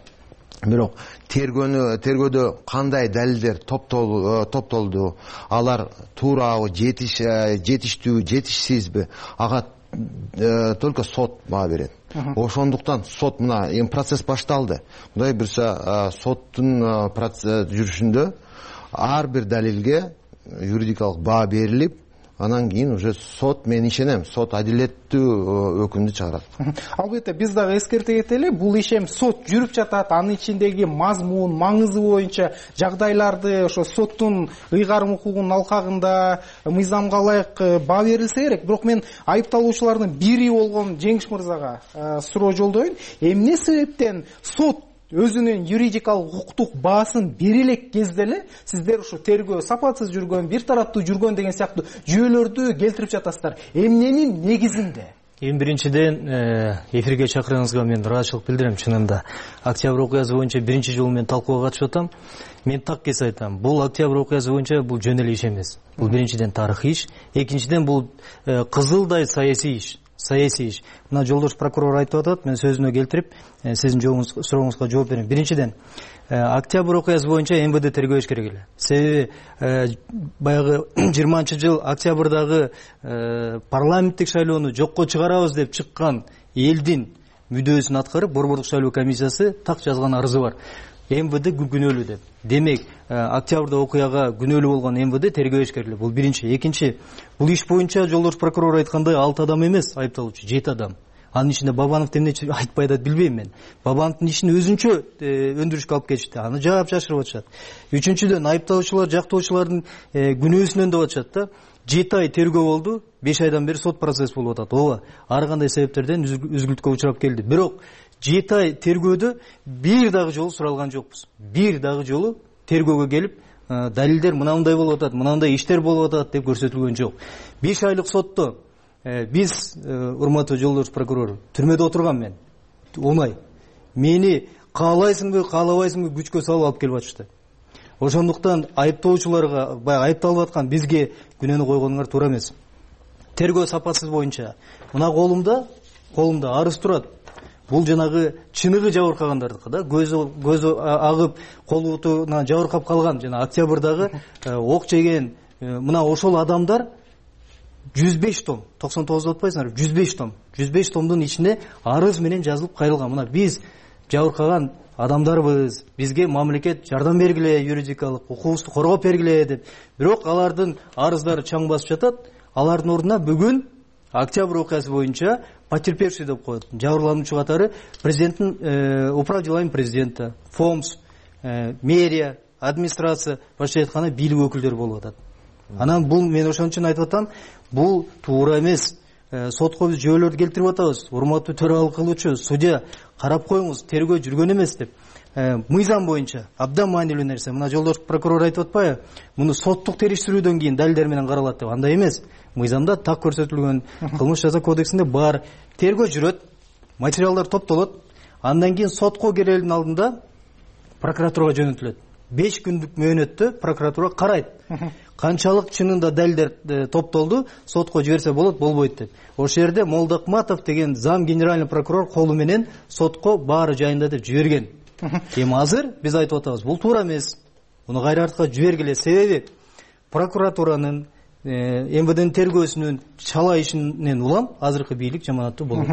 Бирок тергөөдө кандай далилдер топтолду, алар туурабы, жетиштүү, жетишсизби, ага только сот баа берет. Ошондуктан сот мына процесс башталды. Кудай буюрса соттун жүрүшүндө ар бир далилге юридикалык баа берилип, анан кийин уже сот, мен ишенем, сот адилеттүү өкүмдү чыгарат. Албетте биз дагы эскерте кетели, бул иш эми сот жүрүп жатат, анын ичиндеги мазмун, маңызы боюнча жагдайларды ошо соттун ыйгарым укугунун алкагында мыйзамга ылайык баа берилсе керек. Бирок мен айыпталуучулардын бири болгон Жеңиш мырзага суроо жолдоюн. Эмне себептен сот өзүнүн юридикалык укуктук баасын бере элек кезде эле сиздер ушу тергөө сапатсыз жүргөн, бир тараптуу жүргөн деген сыяктуу жүйөлөрдү келтирип жатасыздар? Эмненин негизинде? Эң биринчиден эфирге чакырганыңызга мен ыраазычылык билдирем. Чынында октябрь окуясы боюнча биринчи жолу мен талкууга катышып атам. Мен так кес айтам, бул октябрь окуясы боюнча бул жөн эле иш эмес. Бул биринчиден тарыхый иш, экинчиден бул кызылдай саясий иш. Саясий иш. Мына жолдош прокурор айтып атат, мен сөзүнө келтирип, сиздин сурооңузга жооп берем. Биринчиден, октябрь окуясы боюнча МВД тергөөш керек эле. Себеби баягы 20-жыл октябрдагы парламенттик шайлоону жокко чыгарабыз деп чыккан элдин мүдөөсүн аткарып, Борбордук шайлоо комиссиясы так жазган арызы бар. МВД күнөөлүү деп. Демек, октябрда окуяга күнөөлүү болгон МВД тергөөш керек эле. Бул биринчи. Экинчи, бул иш боюнча жолдош прокурор айткандай 6 адам эмес айыпталуучу, 7 адам. Анын ичинде Бабанов эмне айтпайт деп билбейм мен. Бабановдун ишин өзүнчө өндүрүшкө алып кетишти. Аны жаап жашырып атышат. Үчүнчүдөн айыпталуучулар, жактоочулардын күнөөсүнөн деп атышат да. 7 ай тергөө болду, 5 айдан бери сот процесс болуп атат. Ооба, ар кандай себептерден үзгүлтүккө учурап келди. Бирок 7 ай тергөөдө бир дагы жолу суралган жокпуз. Бир дагы жолу тергөөгө келип, далилдер мынандай болуп атат, мынандай иштер болуп атат деп көрсөтүлгөн жок. 5 айлык сотто биз, урматтуу жолдош прокурор, түрмөдө отурган мен. Оңай. Мени каалайсыңбы, каалабайсыңбы күчкө салып алып келип атышты. Ошондуктан айыптоочуларга, баягы айыпталып аткан бизге күнөөнү койгонуңар туура эмес. Тергөө сапатсыз боюнча мына колумда арыз турат. Бул жанагы чыныгы жабыркагандардыкы да, көзү агып, колутуна жабыркап калган жана октябрдагы ок жеген мына ошол адамдар 105 том, 99 деп атпайсыңарбы? 105 том. 105 томдун ичине арыз менен жазылып кайрылган. Мына биз жабыркаган адамдарбыз, бизге мамлекет жардам бергиле, юридикалык укугубузду коргоп бергиле деп. Бирок алардын арыздары чаң басып жатат. Алардын ордуна бүгүн октябрь окуясы боюнча потерпевший деп коет. Жабырлануучу катары президенттин управ делами президента, ФОМС, мэрия, администрация, башка айтканда бийлик өкүлдөрү болуп атат. Анан бул мен ошон үчүн айтып атам, бул туура эмес. Сотко биз жүйөлөрдү келтирип атабыз. Урматтуу төралык кылуучу, судья, карап коюңуз, тергөө жүргөн эмес деп. Мыйзам боюнча абдан маанилүү нерсе. Мына жолдош прокурор айтып атпайбы? Муну соттук териштирүүдөн кийин далилдер менен каралат деп. Андай эмес. Мыйзамда так көрсөтүлгөн, кылмыш жаза кодексинде бар. Тергөө жүрөт, материалдар топтолот. Андан кийин сотко кирердин алдында прокуратурага жөнөтүлөт. 5 күндүк мөөнөттө прокуратура карайт. Канчалык чынында далилдер топтолду, сотко жиберсе болот, болбойт деп. Ошол жерде Молдокматов деген зам генеральный прокурор колу менен сотко баары жайында деп жиберген. Эми азыр биз айтып атабыз, бул туура эмес. Муну кайра артка жибергиле. Себеби прокуратуранын, МВДнин тергөөсүнүн чала ишинен улам азыркы бийлик жаманаттуу болот.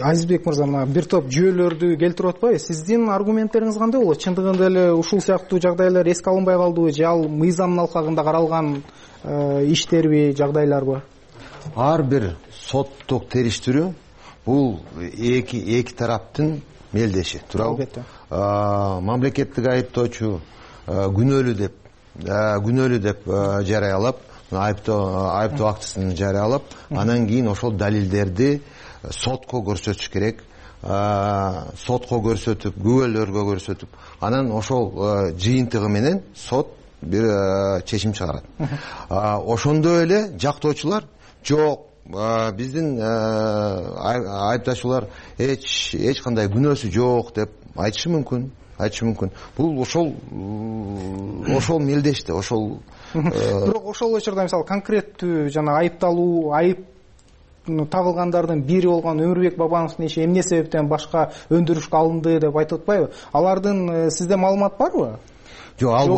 Азизбек мырза, мына бир топ жүйөлөрдү келтирип атпайбы? Сиздин аргументтериңиз кандай болот? Чындыгында эле ушул сыяктуу жагдайлар эске алынбай калдыбы же ал мыйзамдын алкагында каралган иштерби, жагдайларбы? Ар бир соттук териштирүү бул эки тараптын мелдеши, туурабы? Албетте. Мамлекеттик айыптоочу күнөөлүү деп жарыялап, айыптоо актысын жарыялап, анан кийин ошол далилдерди сотко көрсөтүш керек. Сотко көрсөтүп, күбөлөргө көрсөтүп, анан ошол жыйынтыгы менен сот бир чечим чыгарат. Ошондой эле жактоочулар жок, биздин айыпташуулар эч кандай күнөөсү жок деп айтышы мүмкүн. Бул ошол мелдеште, ошол. Бирок ошол учурда мисалы конкреттүү жана айыпталуу, айып тагылгандардын бири болгон Өмүрбек Бабановдун иши эмне себептен башка өндүрүшкө алынды деп айтып атпайбы? Алардын сизде маалымат барбы? Жок, ал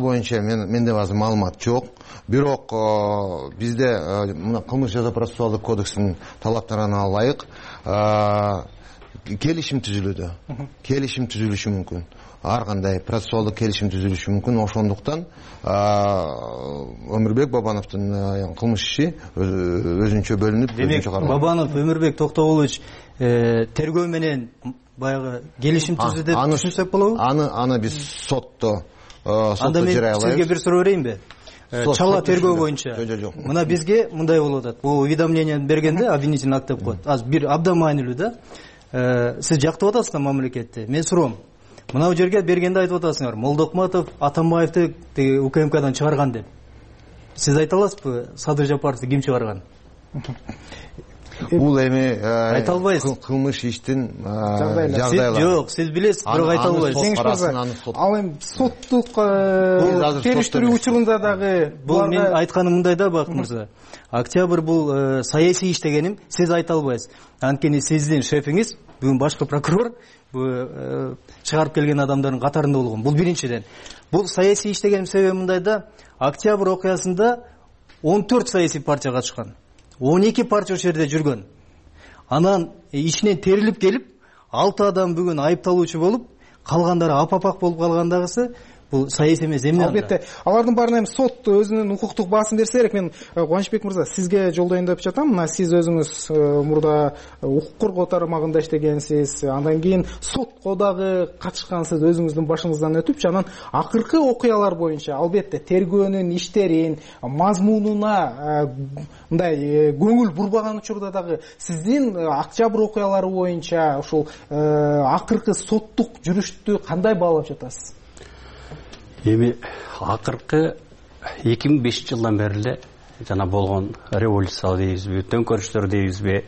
боюнча менде азыр маалымат жок. Бирок бизде мына кылмыш жаза процессуалдык кодекстин талаптарына ылайык келишим түзүлүүдө келишим түзүлүшү мүмкүн, ар кандай процессуалдык келишим түзүлүшү мүмкүн. Ошондуктан Өмүрбек Бабановдун кылмыш иши өзүнчө бөлүнүп, өзүнчө каралат. Бабанов Өмүрбек Токтогулович тергөө менен баягы келишим түзүүдө деп түшүнсөк болобу? Аны биз сотто жарыялайбыз. Анда мен сизге бир суроо берейинби? Чала тергөө боюнча мына бизге мындай болуп атат. Бул уведомление бергенде обвинительный акт деп коет. Азыр бир абдан маанилүү да. Сиз жактап атасыз да мамлекетти. Мен суроом. Мына бул жерге бергенде айтып атасыңар, Молдокматов Атамбаевди УКМКдан чыгарган деп. Сиз айта аласызбы, Садыр Жапаровду ким чыгарган? Бул эми айта албайсыз. Кылмыш иштин жагдайлары. Жок, сиз билесиз, бирок айта албайсыз. Ал эми соттук териштирүү учурунда дагы бул мен айтканым мындай да, Бак мырза. Октябрь бул саясий иш дегеним сиз айта албайсыз. Анткени сиздин шефиңиз бүгүн башкы прокурор чыгарып келген адамдардын катарында болгон. Бул биринчиден. Бул саясий иш дегеним себеби мындай да, Октябрь окуясында 14 саясий партия катышкан. 12 партия ошол жерде жүргөн. Анан ичинен терилип келип, 6 адам бүгүн айыпталуучу болуп, калгандары апапак болуп калгандагысы бул саясий эмес. Эмне? Албетте, алардын баарына эми сот өзүнүн укуктук баасын берсе керек. Мен Кубанычбек мырза, сизге жолдоюн деп жатам. Мына сиз өзүңүз мурда укук коргоо тармагында иштегенсиз, андан кийин сотко дагы катышкансыз, өзүңүздүн башыңыздан өтүп, анан акыркы окуялар боюнча албетте тергөөнүн иштерин, мазмунуна мындай көңүл бурбаган учурда дагы сиздин Октябрь окуялары боюнча ушул акыркы соттук жүрүштү кандай баалап жатасыз? Эми акыркы 2005-жылдан бери эле жана болгон революция дейбизби, төңкөрүштөр дейбизби,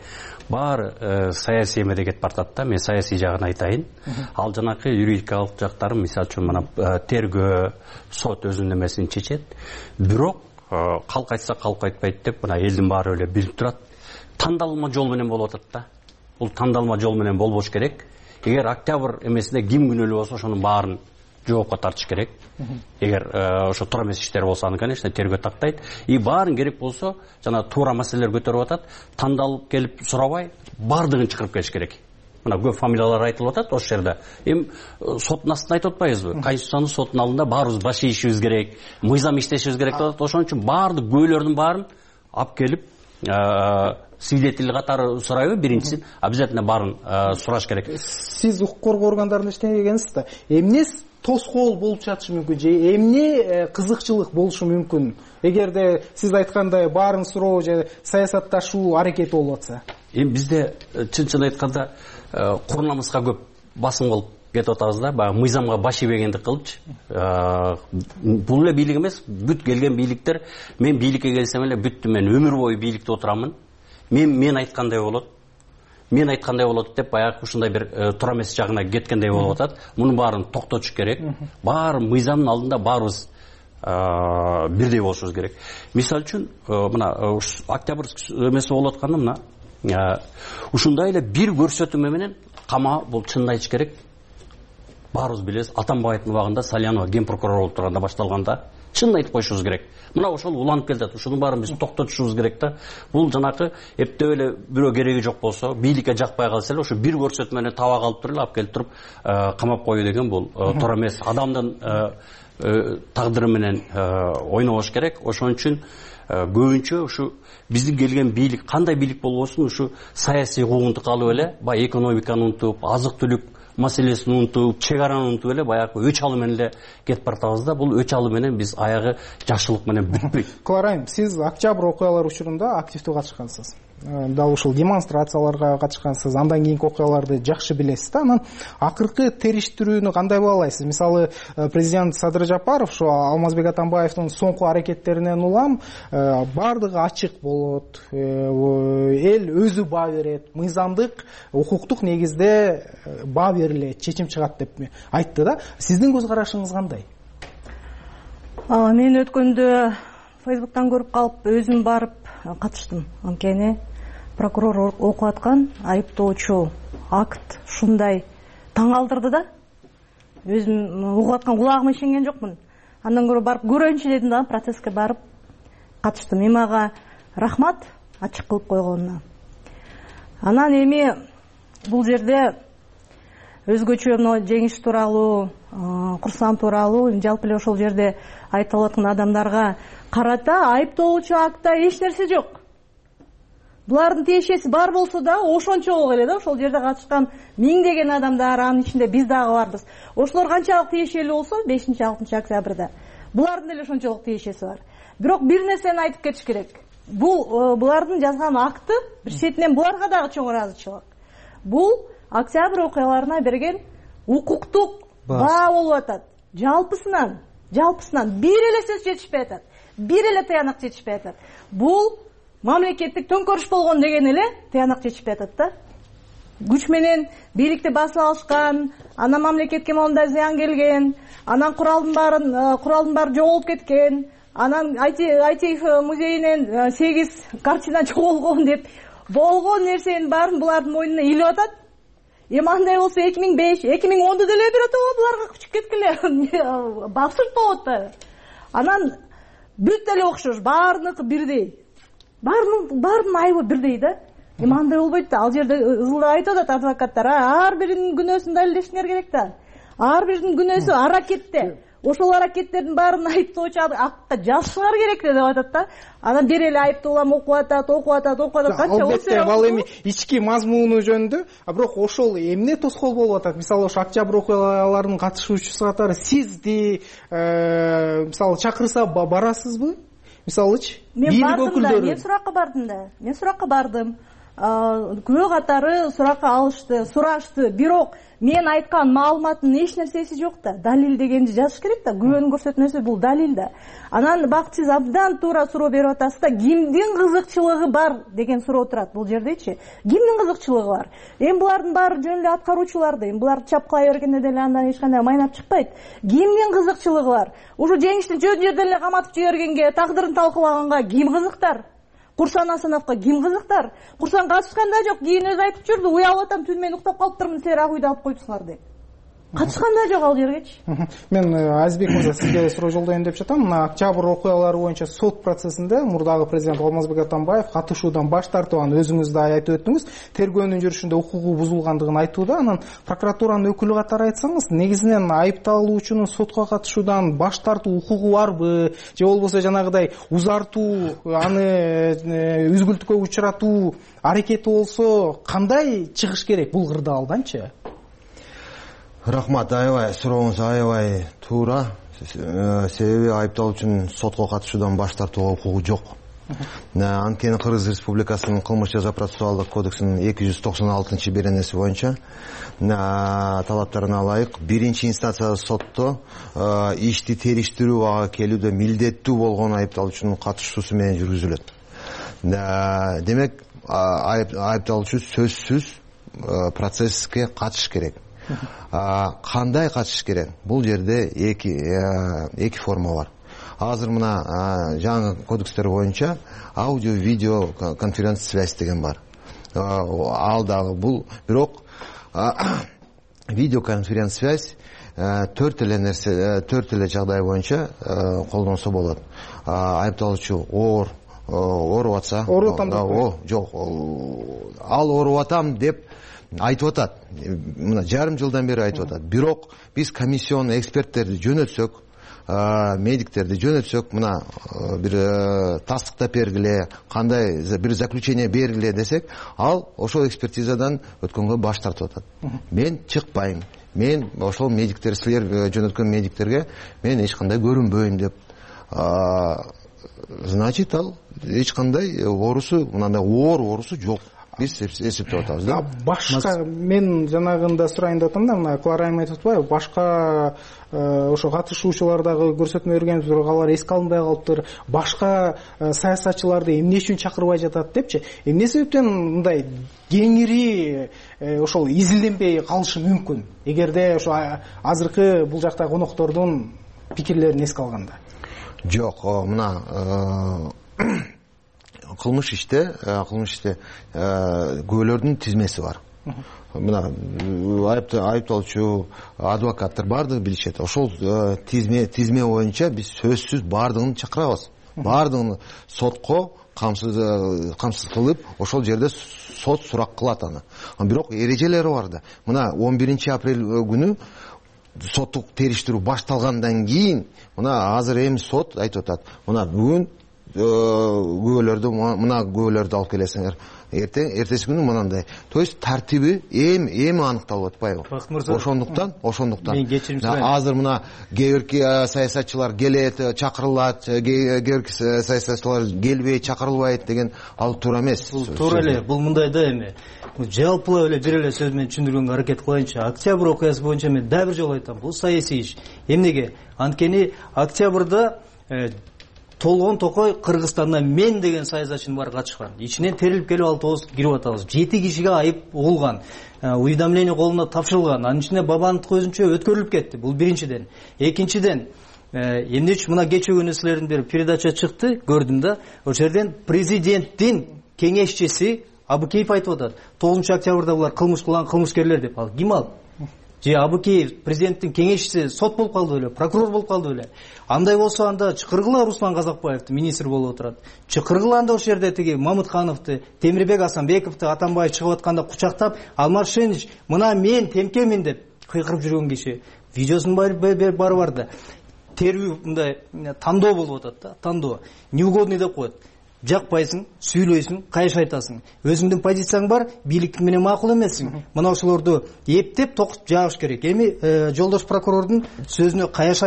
баары саясий эмеде кетип баратат да. Мен саясий жагын айтайын. Ал жанакы юридикалык жактары, мисалы үчүн мына тергөө, сот өзүнүн эмесин чечет. Бирок калк айтса калк айтпайт деп мына элдин баары эле билип турат. Тандалма жол менен болуп атат да. Бул тандалма жол менен болбош керек. Эгер Октябрь эмесинде ким күнөөлүү болсо, ошонун баарын жоопко тартыш керек. Эгер ошо туура эмес иштер болсо, аны конечно тергөө тактайт. И баарын керек болсо, жана туура маселелер көтөрүп атат, тандалып келип сурабай, бардыгын чакырып келиш керек. Мына көп фамилиялар айтылып атат ошол жерде. Эми соттун астында айтып атпайбызбы? Конституциянын соттун алдында баарыбыз баш ийишибиз керек, мыйзам иштешибиз керек деп атат. Ошон үчүн баардык күбөлөрдүн баарын алып келип свидетель катары сурайбы? Биринчисин обязательно баарын сураш керек. Сиз укук коргоо органдарында иштегенсиз да. Эмне тоскоол болуп жатышы мүмкүн же эмне кызыкчылык болушу мүмкүн? Эгерде сиз айткандай баарын суроо же саясатташуу аракети болуп атса? Эми бизде чын айтканда курунамызга көп басым болуп кетип атабыз да. Баягы мыйзамга баш ийбегендик кылыпчы. Бул эле бийлик эмес, бүт келген бийликтер, мен бийликке келсем эле бүттү, мен өмүр бою бийликте отурамын. Мен айткандай болот. Мен айткандай болот деп баягы ушундай бир туура эмес жагына кеткендей болуп атат. Мунун баарын токтотуш керек. Баары мыйзамдын алдында баарыбыз бирдей болушубуз керек. Мисалы үчүн мына Октябрь эмеси болуп атканда мына ушундай эле бир көрсөтмө менен кама бул чынын айтыш керек. Баарыбыз билебиз, Атамбаевдин убагында Салянова ген прокурор болуп турганда башталганда чынын айтып коюшубуз керек. Мына ошол уланып келатат. Ушунун баарын биз токтотушубуз керек да. Бул жанакы эптеп эле бирөө кереги жок болсо, бийликке жакпай калса эле ошо бир көрсөтмөнү таба калып туруп эле алып келип туруп камап коюу деген бул туура эмес. Адамдын тагдыры менен ойнобош керек. Ошон үчүн көбүнчө ушу биздин келген бийлик кандай бийлик болбосун ушу саясий куугунтук алып эле, баягы экономиканы унутуп, азык-түлүк маселесин унутуп, чек араны унутуп эле баягы өч алуу менен эле кетип баратабыз да. Бул өч алуу менен биз аягы жакшылык менен бүтпөйт. Кларайм, сиз Октябрь окуялары учурунда активдүү катышкансыз. Дал ушул демонстрацияларга катышкансыз, андан кийинки окуяларды жакшы билесиз да. Анан акыркы териштирүүнү кандай баалайсыз? Мисалы, президент Садыр Жапаров ошо Алмазбек Атамбаевдин соңку аракеттеринен улам бардыгы ачык болот, эл өзү баа берет, мыйзамдык, укуктук негизде баа берилет, чечим чыгат деп айтты да. Сиздин көз карашыңыз кандай? Мен өткөндө Фейсбуктан көрүп калып өзүм барып катыштым. Анткени прокурор окуп аткан айыптоочу акт ушундай таң калтырды да. Өзүм угуп аткан кулагыма ишенген жокмун. Андан көрө барып көрөйүнчү дедим да, процесске барып катыштым. Эми ага рахмат ачык кылып койгонуна. Анан эми бул жерде өзгөчө жеңиш тууралуу, курсам тууралуу жалпы эле ошол жерде айтылып аткан адамдарга карата айыптоочу актта эч нерсе жок. Булардын тиешеси бар болсо да ошончолук эле да ошол жерде катышкан миңдеген адамдар, анын ичинде биз дагы барбыз. Ошолор канчалык тиешелүү болсо 5-6 октябрда булардын деле ошончолук тиешеси бар. Бирок бир нерсени айтып кетиш керек. Булардын жазган акты бир четинен буларга дагы чоң ыраазычылык. Бул октябрь окуяларына берген укуктук баа болуп атат. Жалпысынан бир эле сөз жетишпей атат. Бир эле тыянак жетишпей атат. Бул мамлекеттик төңкөрүш болгон деген эле тыянак жетишпей атат да. Күч менен бийликти басып алышкан, анан мамлекетке мондай зыян келген, анан куралдын баары жоголуп кеткен, анан ITF музейинен 8 картина жоголгон деп болгон нерсенин баарын булардын мойнуна илип атат. Эми андай болсо 2005, 2010'da деле бирото буларга күчүп кеткиле. Абсурд болот да. Анан бүт эле окшош, баарыныкы бирдей. Баарынын айыбы бирдей да. Эми андай болбойт да. Ал жерде ызылдап айтып атат адвокаттар, ар биринин күнөөсүн далилдешиңер керек да. Ар биринин күнөөсү аракетте. Ошол аракеттердин баарын айыптоочу акта жазышыңар керек деп атат да. Анан бир эле айыптуулам окуп атат. Канча албетте ал эми ички мазмуну жөнүндө, бирок ошол эмне тоскоол болуп атат? Мисалы ошо октябрь окуяларынын катышуучусу катары сизди мисалы чакырса барасызбы? Мисалычы бийлик өкүлдөрү. Мен суракка бардым. Күбө катары суракка алышты, сурашты. Бирок мен айткан маалыматтын эч нерсеси жок да. Далил дегенди жазыш керек да. Күбөнүн көрсөтмөсү бул далил да. Анан бак сиз абдан туура суроо берип атасыз да. Кимдин кызыкчылыгы бар деген суроо турат бул жердечи. Кимдин кызыкчылыгы бар? Эми булардын баары жөн эле аткаруучуларды. Эми булар чапкылай бергенде деле андан эч кандай майнап чыкпайт. Кимдин кызыкчылыгы бар? Ушу жеңиштин жөн жерден эле каматып жибергенге, тагдырын талкуулаганга ким кызыктар? Курсан Асановго ким кызыктар? Курсан катышкан да жок, кийин өзү айтып жүрдү, уялып атам, түн менен уктап калыптырмын, силер ак үйдө алып коюпсуңар деп. Катышкан да жок ал жергечи. Мен Азизбек мырза сизге суроо жолдоюн деп жатам. Мына октябрь окуялары боюнча сот процессинде мурдагы президент Алмазбек Атамбаев катышуудан баш тартып, анан өзүңүз да айтып өттүңүз, тергөөнүн жүрүшүндө укугу бузулгандыгын айтууда. Анан прокуратуранын өкүлү катары айтсаңыз, негизинен айыпталуучунун сотко катышуудан баш тартуу укугу барбы, же болбосо жанагыдай узартуу, аны үзгүлтүккө учуратуу аракети болсо кандай чыгыш керек бул кырдаалданчы? Рахмат, аябай сурооңуз аябай туура. Себеби айыпталуучунун сотко катышуудан баш тартууга укугу жок. Анткени Кыргыз Республикасынын кылмыш жаза процессуалдык кодексинин 296 беренеси боюнча талаптарына ылайык биринчи инстанциялык сотто ишти териштирүү ага келүүдө милдеттүү болгон айыпталуучунун катышуусу менен жүргүзүлөт. Демек айыпталуучу сөзсүз процесске катышыш керек. Кандай катышыш керек? Бул жерде эки форма бар. Азыр мына жаңы кодекстер боюнча аудио видео конференц связь деген бар. Ал дагы бул, бирок видео конференц связь төрт эле жагдай боюнча колдонсо болот. Айыпталуучу ооруп атса, жок, ал ооруп атам деп айтып атат. Мына жарым жылдан бери айтып атат. Бирок биз комиссион эксперттерди жөнөтсөк, медиктерди жөнөтсөк, мына бир тастыктап бергиле, кандай бир заключение бергиле десек, ал ошол экспертизадан өткөнгө баш тартып атат. Мен чыкпайм. Мен ошол медиктер, силер жөнөткөн медиктерге мен эч кандай көрүнбөйм деп. Значит, ал эч кандай оорусу, мындай оорусу жок. Биз эсептеп атабыз да. Башка мен жанагында сурайын деп атам да, мына Клара айым айтып атпайбы, башка ошо катышуучулар дагы көрсөтмө бергенбиз, бирок алар эске алынбай калыптыр. Башка саясатчыларды эмне үчүн чакырбай жатат депчи. Эмне себептен мындай кеңири ошол изилденбей калышы мүмкүн? Эгерде ошо азыркы бул жакта коноктордун пикирлерин эске алганда. Жок, мына кылмыш иште күбөлөрдүн тизмеси бар. Мына айыпталуучу, адвокаттар бардыгы билишет. Ошол тизме боюнча биз сөзсүз бардыгын чакырабыз. Бардыгын сотко камсыз кылып ошол жерде сот сурак кылат аны. Бирок эрежелери бар да. Мына 11 апрель күнү соттук териштирүү башталгандан кийин мына азыр эми сот айтып атат. Мына бүгүн мына күбөлөрдү алып келесиңер. Эртеси күнү мынандай. То есть тартиби эми аныкталып атпайбы? Ошондуктан азыр мына кээ-бирки саясатчылар келет, чакырылат, кээ-бирки саясатчылар келбейт, чакырылбайт деген ал туура эмес. Бул туура эле. Бул мындай да эми. Жалпылап эле бир эле сөз менен түшүндүргөнгө аракет кылайынчы. Октябрь окуясы боюнча мен дагы бир жолу айтам. Бул саясий иш. Эмнеге? Анткени октябрда толгон токой Кыргызстандан мен деген саясатчынын баары катышкан. Ичинен терилип келип 6 кирип атабыз. 7 кишиге айып болгон. Уведомление колуна тапшырылган. Анын ичинде бабанын көзүнчө өткөрүлүп кетти. Бул биринчиден. Экинчиден, эмне үчүн мына кечээ күнү силердин бир передача чыкты, көрдүм да. Ошол жерден президенттин кеңешчиси Абыкеев айтып атат. 9 октябрда булар кылмыш кылган кылмышкерлер деп. Ал ким ал? Же Абыкеев президенттин кеңешчиси сот болуп калды беле, прокурор болуп калды беле? Андай болсо анда чакыргыла Руслан Казакбаевди министр болуп отурат. Чакыргыла анда ошол жерде тиги Мамытхановду, Темирбек Асанбековду Атамбаев чыгып атканда кучактап, Алмаршенич, мына мен темкемин деп кыйкырып жүргөн киши. Видеосунун баары бар да. Терүү мындай тандоо болуп атат да, тандоо. Неугодный деп коет. Жакпайсың, сүйлөйсүң, кайш айтасың. Өзүңдүн позицияң бар, бийлик менен макул эмессиң. Мына ошолорду эптеп токуп жагыш керек. Эми жолдош прокурордун сөзүнө каяш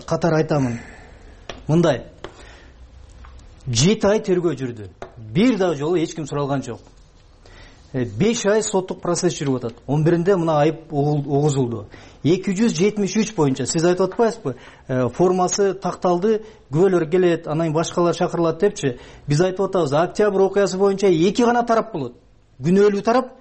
катары айтамын. Мындай 7 ай тергөө жүрдү. Бир дагы жолу эч ким суралган жок. 5 ай соттук процесс жүрүп атат. 11-нде мына айып огузулду. 273 боюнча сиз айтып атпайсызбы? Формасы такталды, күбөлөр келет, анан башкалар чакырылат депчи. Биз айтып атабыз, октябрь окуясы боюнча 2 гана тарап болот. Күнөөлүү тарап,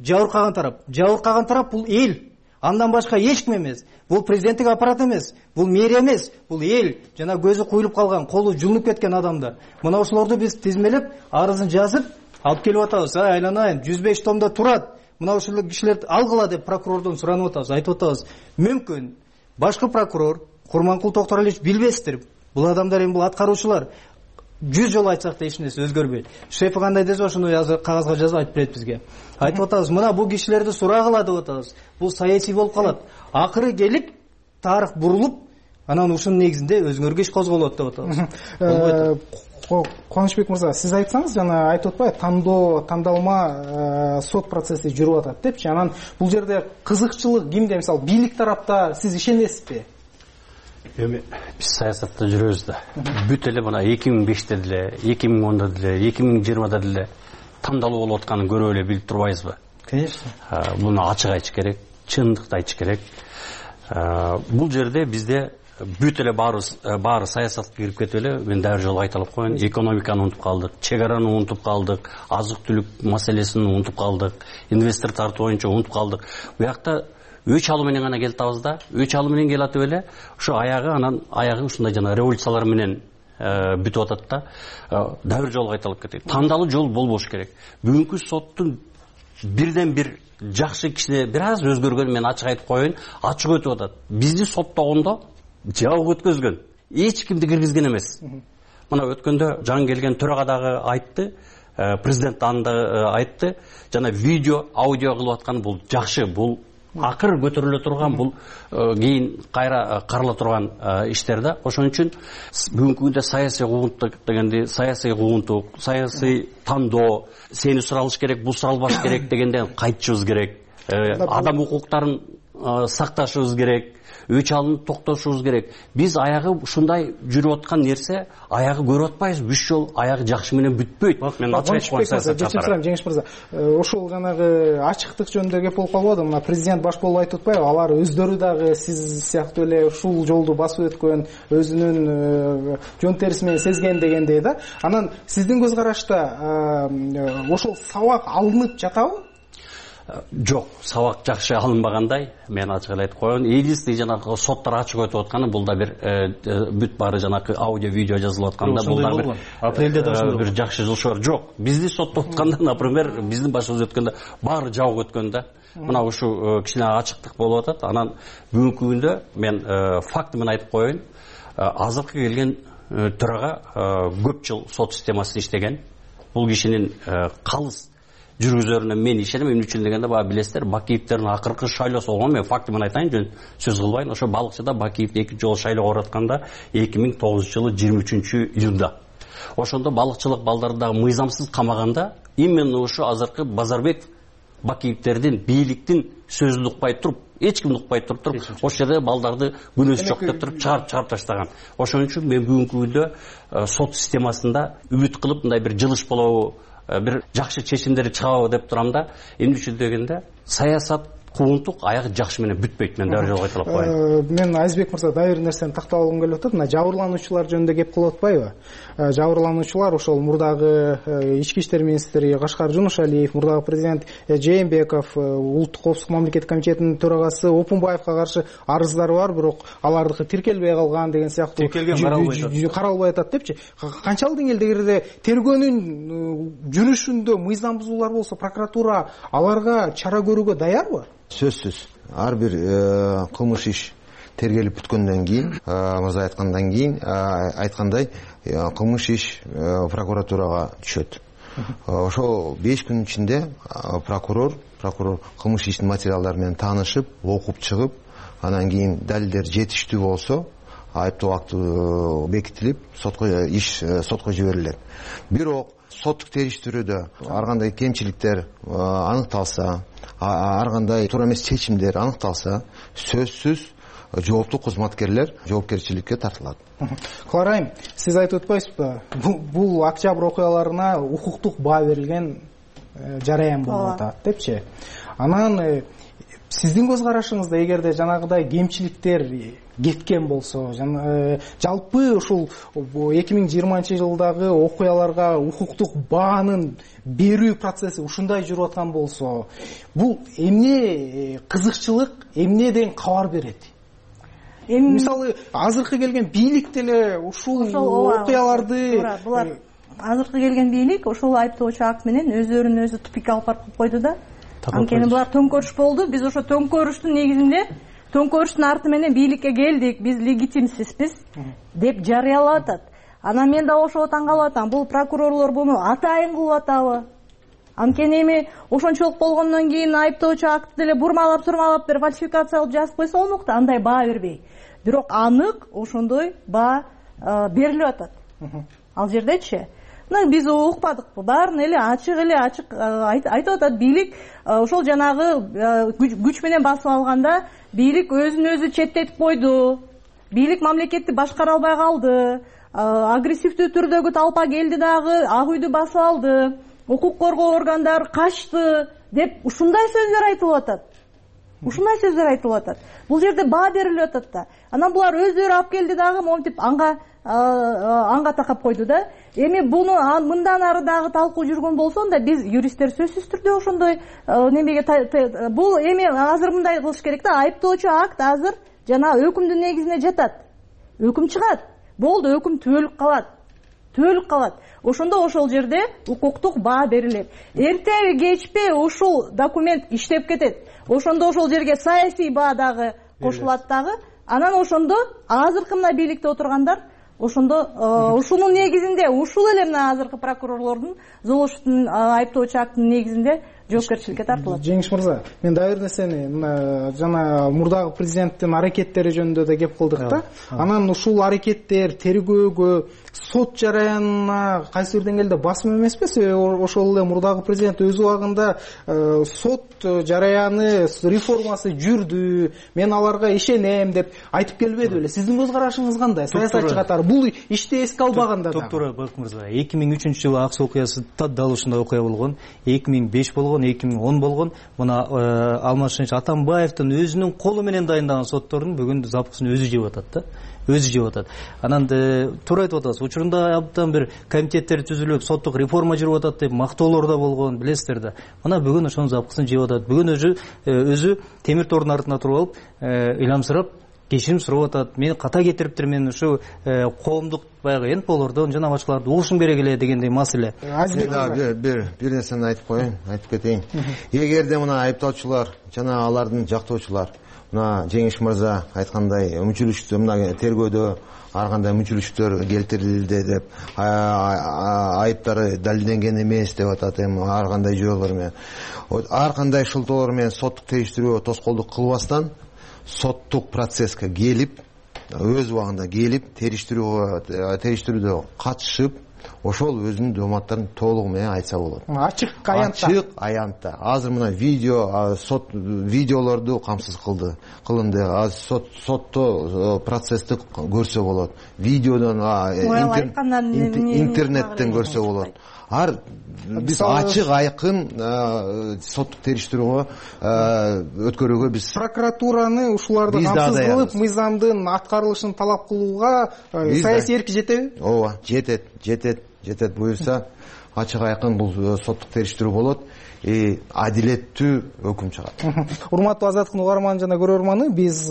жабыркаган тарап. Жабыркаган тарап бул эл. Андан башка эч ким эмес. Бул президенттик аппарат эмес, бул мэрия эмес, бул эл. Жана көзү куюлуп калган, колу жулунуп кеткен адамдар. Мына ошолорду биз тизмелеп, арызын жазып алып келип атабыз. Айланайын, 105 томдо турат. Мына ошол кишилерди алгыла деп прокурордон суранып атабыз. Айтып атабыз, мүмкүн башкы прокурор Курманкул Токторалиевич билбестир. Бул адамдар эми бул аткаруучулар 100 жолу айтсак да эч нерсе өзгөрбөйт. Шефи кандай десе ошону кагазга жазып айтып берет бизге. Айтып атабыз, мына бул кишилерди сурагыла деп атабыз. Бул саясий болуп калат. Акыры келип тарых бурулуп, анан ушунун негизинде өзүңөргө иш козголот деп атабыз. Кубанычбек мырза, сиз айтсаңыз, жана айтып атпайбы, тандалма сот процесси жүрүп атат депчи. Анан бул жерде кызыкчылык кимде? Мисалы, бийлик тарапта сиз ишенесизби? Эми биз саясатта жүрөбүз да. Бүт эле мына 2005-те деле, 2010-да деле, 2020-да деле тандалуу болуп атканын көрүп эле билип турбайбызбы? Конечно. Муну ачык айтыш керек, чындыкты айтыш керек. Бул жерде бизде бүт эле баары саясатка кирип кетип эле, мен дагы жолу айталып коеюн, экономиканы унутуп калдык, чек араны унутуп калдык, азык-түлүк маселесин унутуп калдык, инвестор тартуу боюнча унутуп калдык. Буякта өч алуу менен гана келатабыз да, өч алуу менен келатып эле, ошо аягы ушундай жана революциялар менен бүтүп атат да. Дагы бир жолу айталып кетейин. Тандалуу жол болбош керек. Бүгүнкү соттун бирден бир жакшы кишине бир аз өзгөргөн, мен ачык айтып коеюн, ачык өтүп атат. Бизди соттогондо жабык өткөзгөн, эч кимди киргизген эмес. Мына өткөндө жаңы келген төрага дагы айтты, президент анда айтты, жана видео, аудио кылып аткан бул жакшы, бул акыр көтөрүлө турган, бул кийин кайра карала турган иштер да. Ошон үчүн бүгүнкү күндө саясий куугунтук дегенди, саясий куугунтук, саясий тандоо, сени суралыш керек, бул суралбаш керек дегенден кайтышыбыз керек. Адам укуктарын сакташыбыз керек. Өч алынып токтошубуз керек. Биз аягы ушундай жүрүп аткан нерсе, аягы көрүп атпайбыз. Бүт жол аягы жакшы менен бүтпөйт. Мен ачык айткым келет. Жеңиш мырза, ошол жанагы ачыктык жөнүндө кеп болуп калбады. Мына президент баш болуп айтып атпайбы? Алар өздөрү дагы сиз сыяктуу эле ушул жолду басып өткөн, өзүнүн жон терisi менен сезген дегендей да. Анан сиздин көз карашта ошол сабак алынып жатабы? Жок, сабак жакшы алынбагандай, мен ачык эле айтып коеюн. Единственный жанагы соттор ачык өтүп атканы, бул да бир бүт баары жанагы аудио, видео жазылып атканда, бул да бир апрелде да бир жакшы жылшор жок. Бизди соттоп атканда, например, биздин башыбыз өткөндө баары жабык өткөн да. Мына ушу кичине ачыктык болуп атат. Анан бүгүнкү күндө мен факты менен айтып коеюн. Азыркы келген төрага көп жыл сот системасында иштеген. бул кишинин калыс жүргүзөрүнө мен ишенем. Эмне үчүн дегенде баягы билесиздер, Бакиевдердин акыркы шайлоосу болгон. Мен фактымын айтайын, жөн сөз кылбайын. Ошо балыкчыда Бакиевди экинчи жолу шайлоого баратканда 2009-жылы 23-июнда. Ошондо балыкчылык балдарды дагы мыйзамсыз камаганда именно ошо азыркы Базарбек Бакиевдердин бийликтин сөзүн укпай туруп, эч кимди укпай туруп ошол жерде балдарды күнөөсү жок деп туруп чыгарып таштаган. Ошон үчүн мен бүгүнкү күндө сот системасында үмүт кылып мындай бир жылыш болобу, бир жакшы чечимдер чыгабы деп турам да. Эмне үчүн дегенде саясат куугунтук аягы жакшы менен бүтпөйт. Мен дагы жолго айтылып коеюн. Мен Айзбек мырза дагы бир нерсени тактап алгым келип атат. Мына жабырлануучулар жөнүндө кеп кылып атпайбы? Жабырлануучулар ошол мурдагы ички иштер министри Кашкар Жунушалиев, мурдагы президент Жээнбеков, улуттук коопсуздук мамлекеттик комитетинин төрагасы Опунбаевга каршы арыздар бар, бирок алардыкы тиркелбей калган деген сыяктуу каралбай атат депчи. Канчалык деңгээлде тергөөнүн жүрүшүндө мыйзам бузуулар болсо, прокуратура аларга чара көрүүгө даярбы? Сөзсүз. Ар бир кылмыш иш тергелип бүткөндөн кийин, мырза айткандан кийин айткандай кылмыш иш прокуратурага түшөт. Ошол 5 күн ичинде прокурор кылмыш иштин материалдары менен таанышып, окуп чыгып, анан кийин далилдер жетиштүү болсо, айыптоо акты бекитилип, сотко жиберилет. Бирок соттук териштирүүдө ар кандай кемчиликтер аныкталса, ар кандай туура эмес чечимдер аныкталса, сөзсүз жооптуу кызматкерлер жоопкерчиликке тартылат. Клара айым, сиз айтып өтпөйсүзбү? Бул октябрь окуяларына укуктук баа берилген жараян болуп атат депчи. Анан сиздин көз карашыңызда эгерде жанагыдай кемчиликтер кеткен болсо, жалпы ушул 2020-жылдагы окуяларга укуктук баанын берүү процесси ушундай жүрүп аткан болсо, бул эмне кызыкчылык, эмнеден кабар берет? Мисалы, азыркы келген бийлик деле ушул окуяларды азыркы келген бийлик ошол айыптоочу акт менен өздөрүн өзү тупикке алып барып койду да. Анткени булар төңкөрүш болду. Биз ошо төңкөрүштүн негизинде, төңкөрүштүн арты менен бийликке келдик, биз легитимсизбиз деп жарыялап атат. Анан мен да ошого таң калып атам. Бул прокурорлор буну атайын кылып атабы? Анткени эми ошончолук болгондон кийин айыптоочу акты деле бурмалап-сурмалап бир фальсификация кылып жазып койсо болмок да, андай баа бербей. Бирок анык ошондой баа берилип атат. Ал жердечи биз укпадыкпы? Баарын эле ачык айтып атат. Бийлик ошол жанагы күч менен басып алганда бийлик өзүн өзү четтетип койду. Бийлик мамлекетти башкара албай калды. Агрессивдүү түрдөгү талпа келди дагы, ак үйдү басып алды. Укук коргоо органдары качты деп ушундай сөздөр айтылып атат. Бул жерде баа берилип атат да. Анан булар өздөрү алып келди дагы монтип анга такап койду да. Эми буну мындан ары дагы талкуу жүргөн болсо да, биз юристтер сөзсүз түрдө ошондой немеге бул эми азыр мындай кылыш керек да. Айыптоочу акт азыр жана өкүмдүн негизине жатат. Өкүм чыгат. Болду, өкүм түбөлүк калат. Ошондо ошол жерде укуктук баа берилет. Эртеби кечпи ушул документ иштеп кетет. Ошондо ошол жерге саясий баа дагы кошулат дагы. Анан ошондо азыркы мына бийликте отургандар ошондо ушунун негизинде, ушул эле мына азыркы прокурорлордун Золушевдин айыптоочу актынын негизинде жоопкерчиликке тартылат. Жеңиш мырза, мен дагы бир нерсени мына жана мурдагы президенттин аракеттери жөнүндө да кеп кылдык да. Анан ушул аракеттер тергөөгө, сот жараянына кайсы бир деңгээлде басым эмеспи? Ошол эле мурдагы президент өз убагында сот жараяны реформасы жүрдү, мен аларга ишенем деп айтып келбеди беле? Сиздин көз карашыңыз кандай? Саясатчы катары бул ишти эске албаганда да. Туура Бак мырза, 2003-жылы Ак суу окуясы дал ушундай окуя болгон, 2005 болгон, 2010 болгон. Мына Алмазшыныч Атамбаевдин өзүнүн колу менен дайындаган соттордун бүгүн запкысын өзү жеп атат да. Анан туура айтып атасыз. Учурунда абдан бир комитеттер түзүлүп, соттук реформа жүрүп атат деп мактоолор да болгон, билесиздер да. Мына бүгүн ошонун запкысын жеп атат. Бүгүн өзү темир тордун артына туруп алып, ыйламсырап кечирим сурап атат, мени ката кетириптир, мен ушу коомдук баягы НПОлордон жана башкаларды угушум керек эле дегендей маселе. Бир нерсени айтып кетейин. Эгерде мына айыптоочулар жана алардын жактоочулар мына Жеңиш мырза айткандай мүчүлүштү мына тергөөдө ар кандай мүчүлүштөр келтирилди деп айыптары далилденген эмес деп атат. Эми ар кандай жолдор менен, ар кандай шылтоолор менен соттук териштирүүгө тоскоолдук кылбастан соттук процесске келип, өз убагында келип, териштирүүдө катышып, ошол өзүнүн дооматтарын толугу менен айтса болот. Ачык аянтта. Азыр мына сот видеолорду камсыз кылынды. Азыр сотто процессти көрсө болот. Видеодон, интернеттен көрсө болот. Биз ачык айкын соттук териштирүүгө өткөрүүгө биз прокуратураны ушуларды камсыз кылып, мыйзамдын аткарылышын талап кылууга саясий эрки жетеби? Ооба, жетет. Буюрса ачык айкын бул соттук териштирүү болот. Адилеттүү өкүм чыгат. Урматтуу Азаттыктын угарманы жана көрөрманы, биз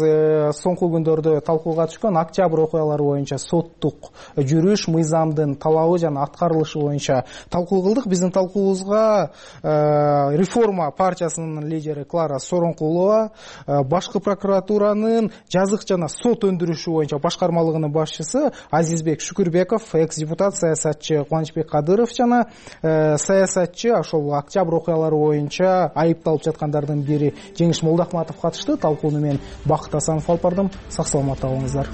соңку күндөрдө талкууга түшкөн октябрь окуялары боюнча соттук жүрүш, мыйзамдын талабы жана аткарылышы боюнча талкуу кылдык. Биздин талкуубузга Реформа партиясынын лидери Клара Сооронкулова, башкы прокуратуранын жазык жана сот өндүрүшү боюнча башкармалыгынын башчысы Азизбек Шүкүрбеков, экс-депутат саясатчы Кубанычбек Кадыров жана саясатчы ошол октябрь окуялары боюнча айыпталып жаткандардын бири Жеңиш Молдохматов катышты. Талкууну мен Бакыт Асанов алып бардым. Сак саламатта болуңуздар.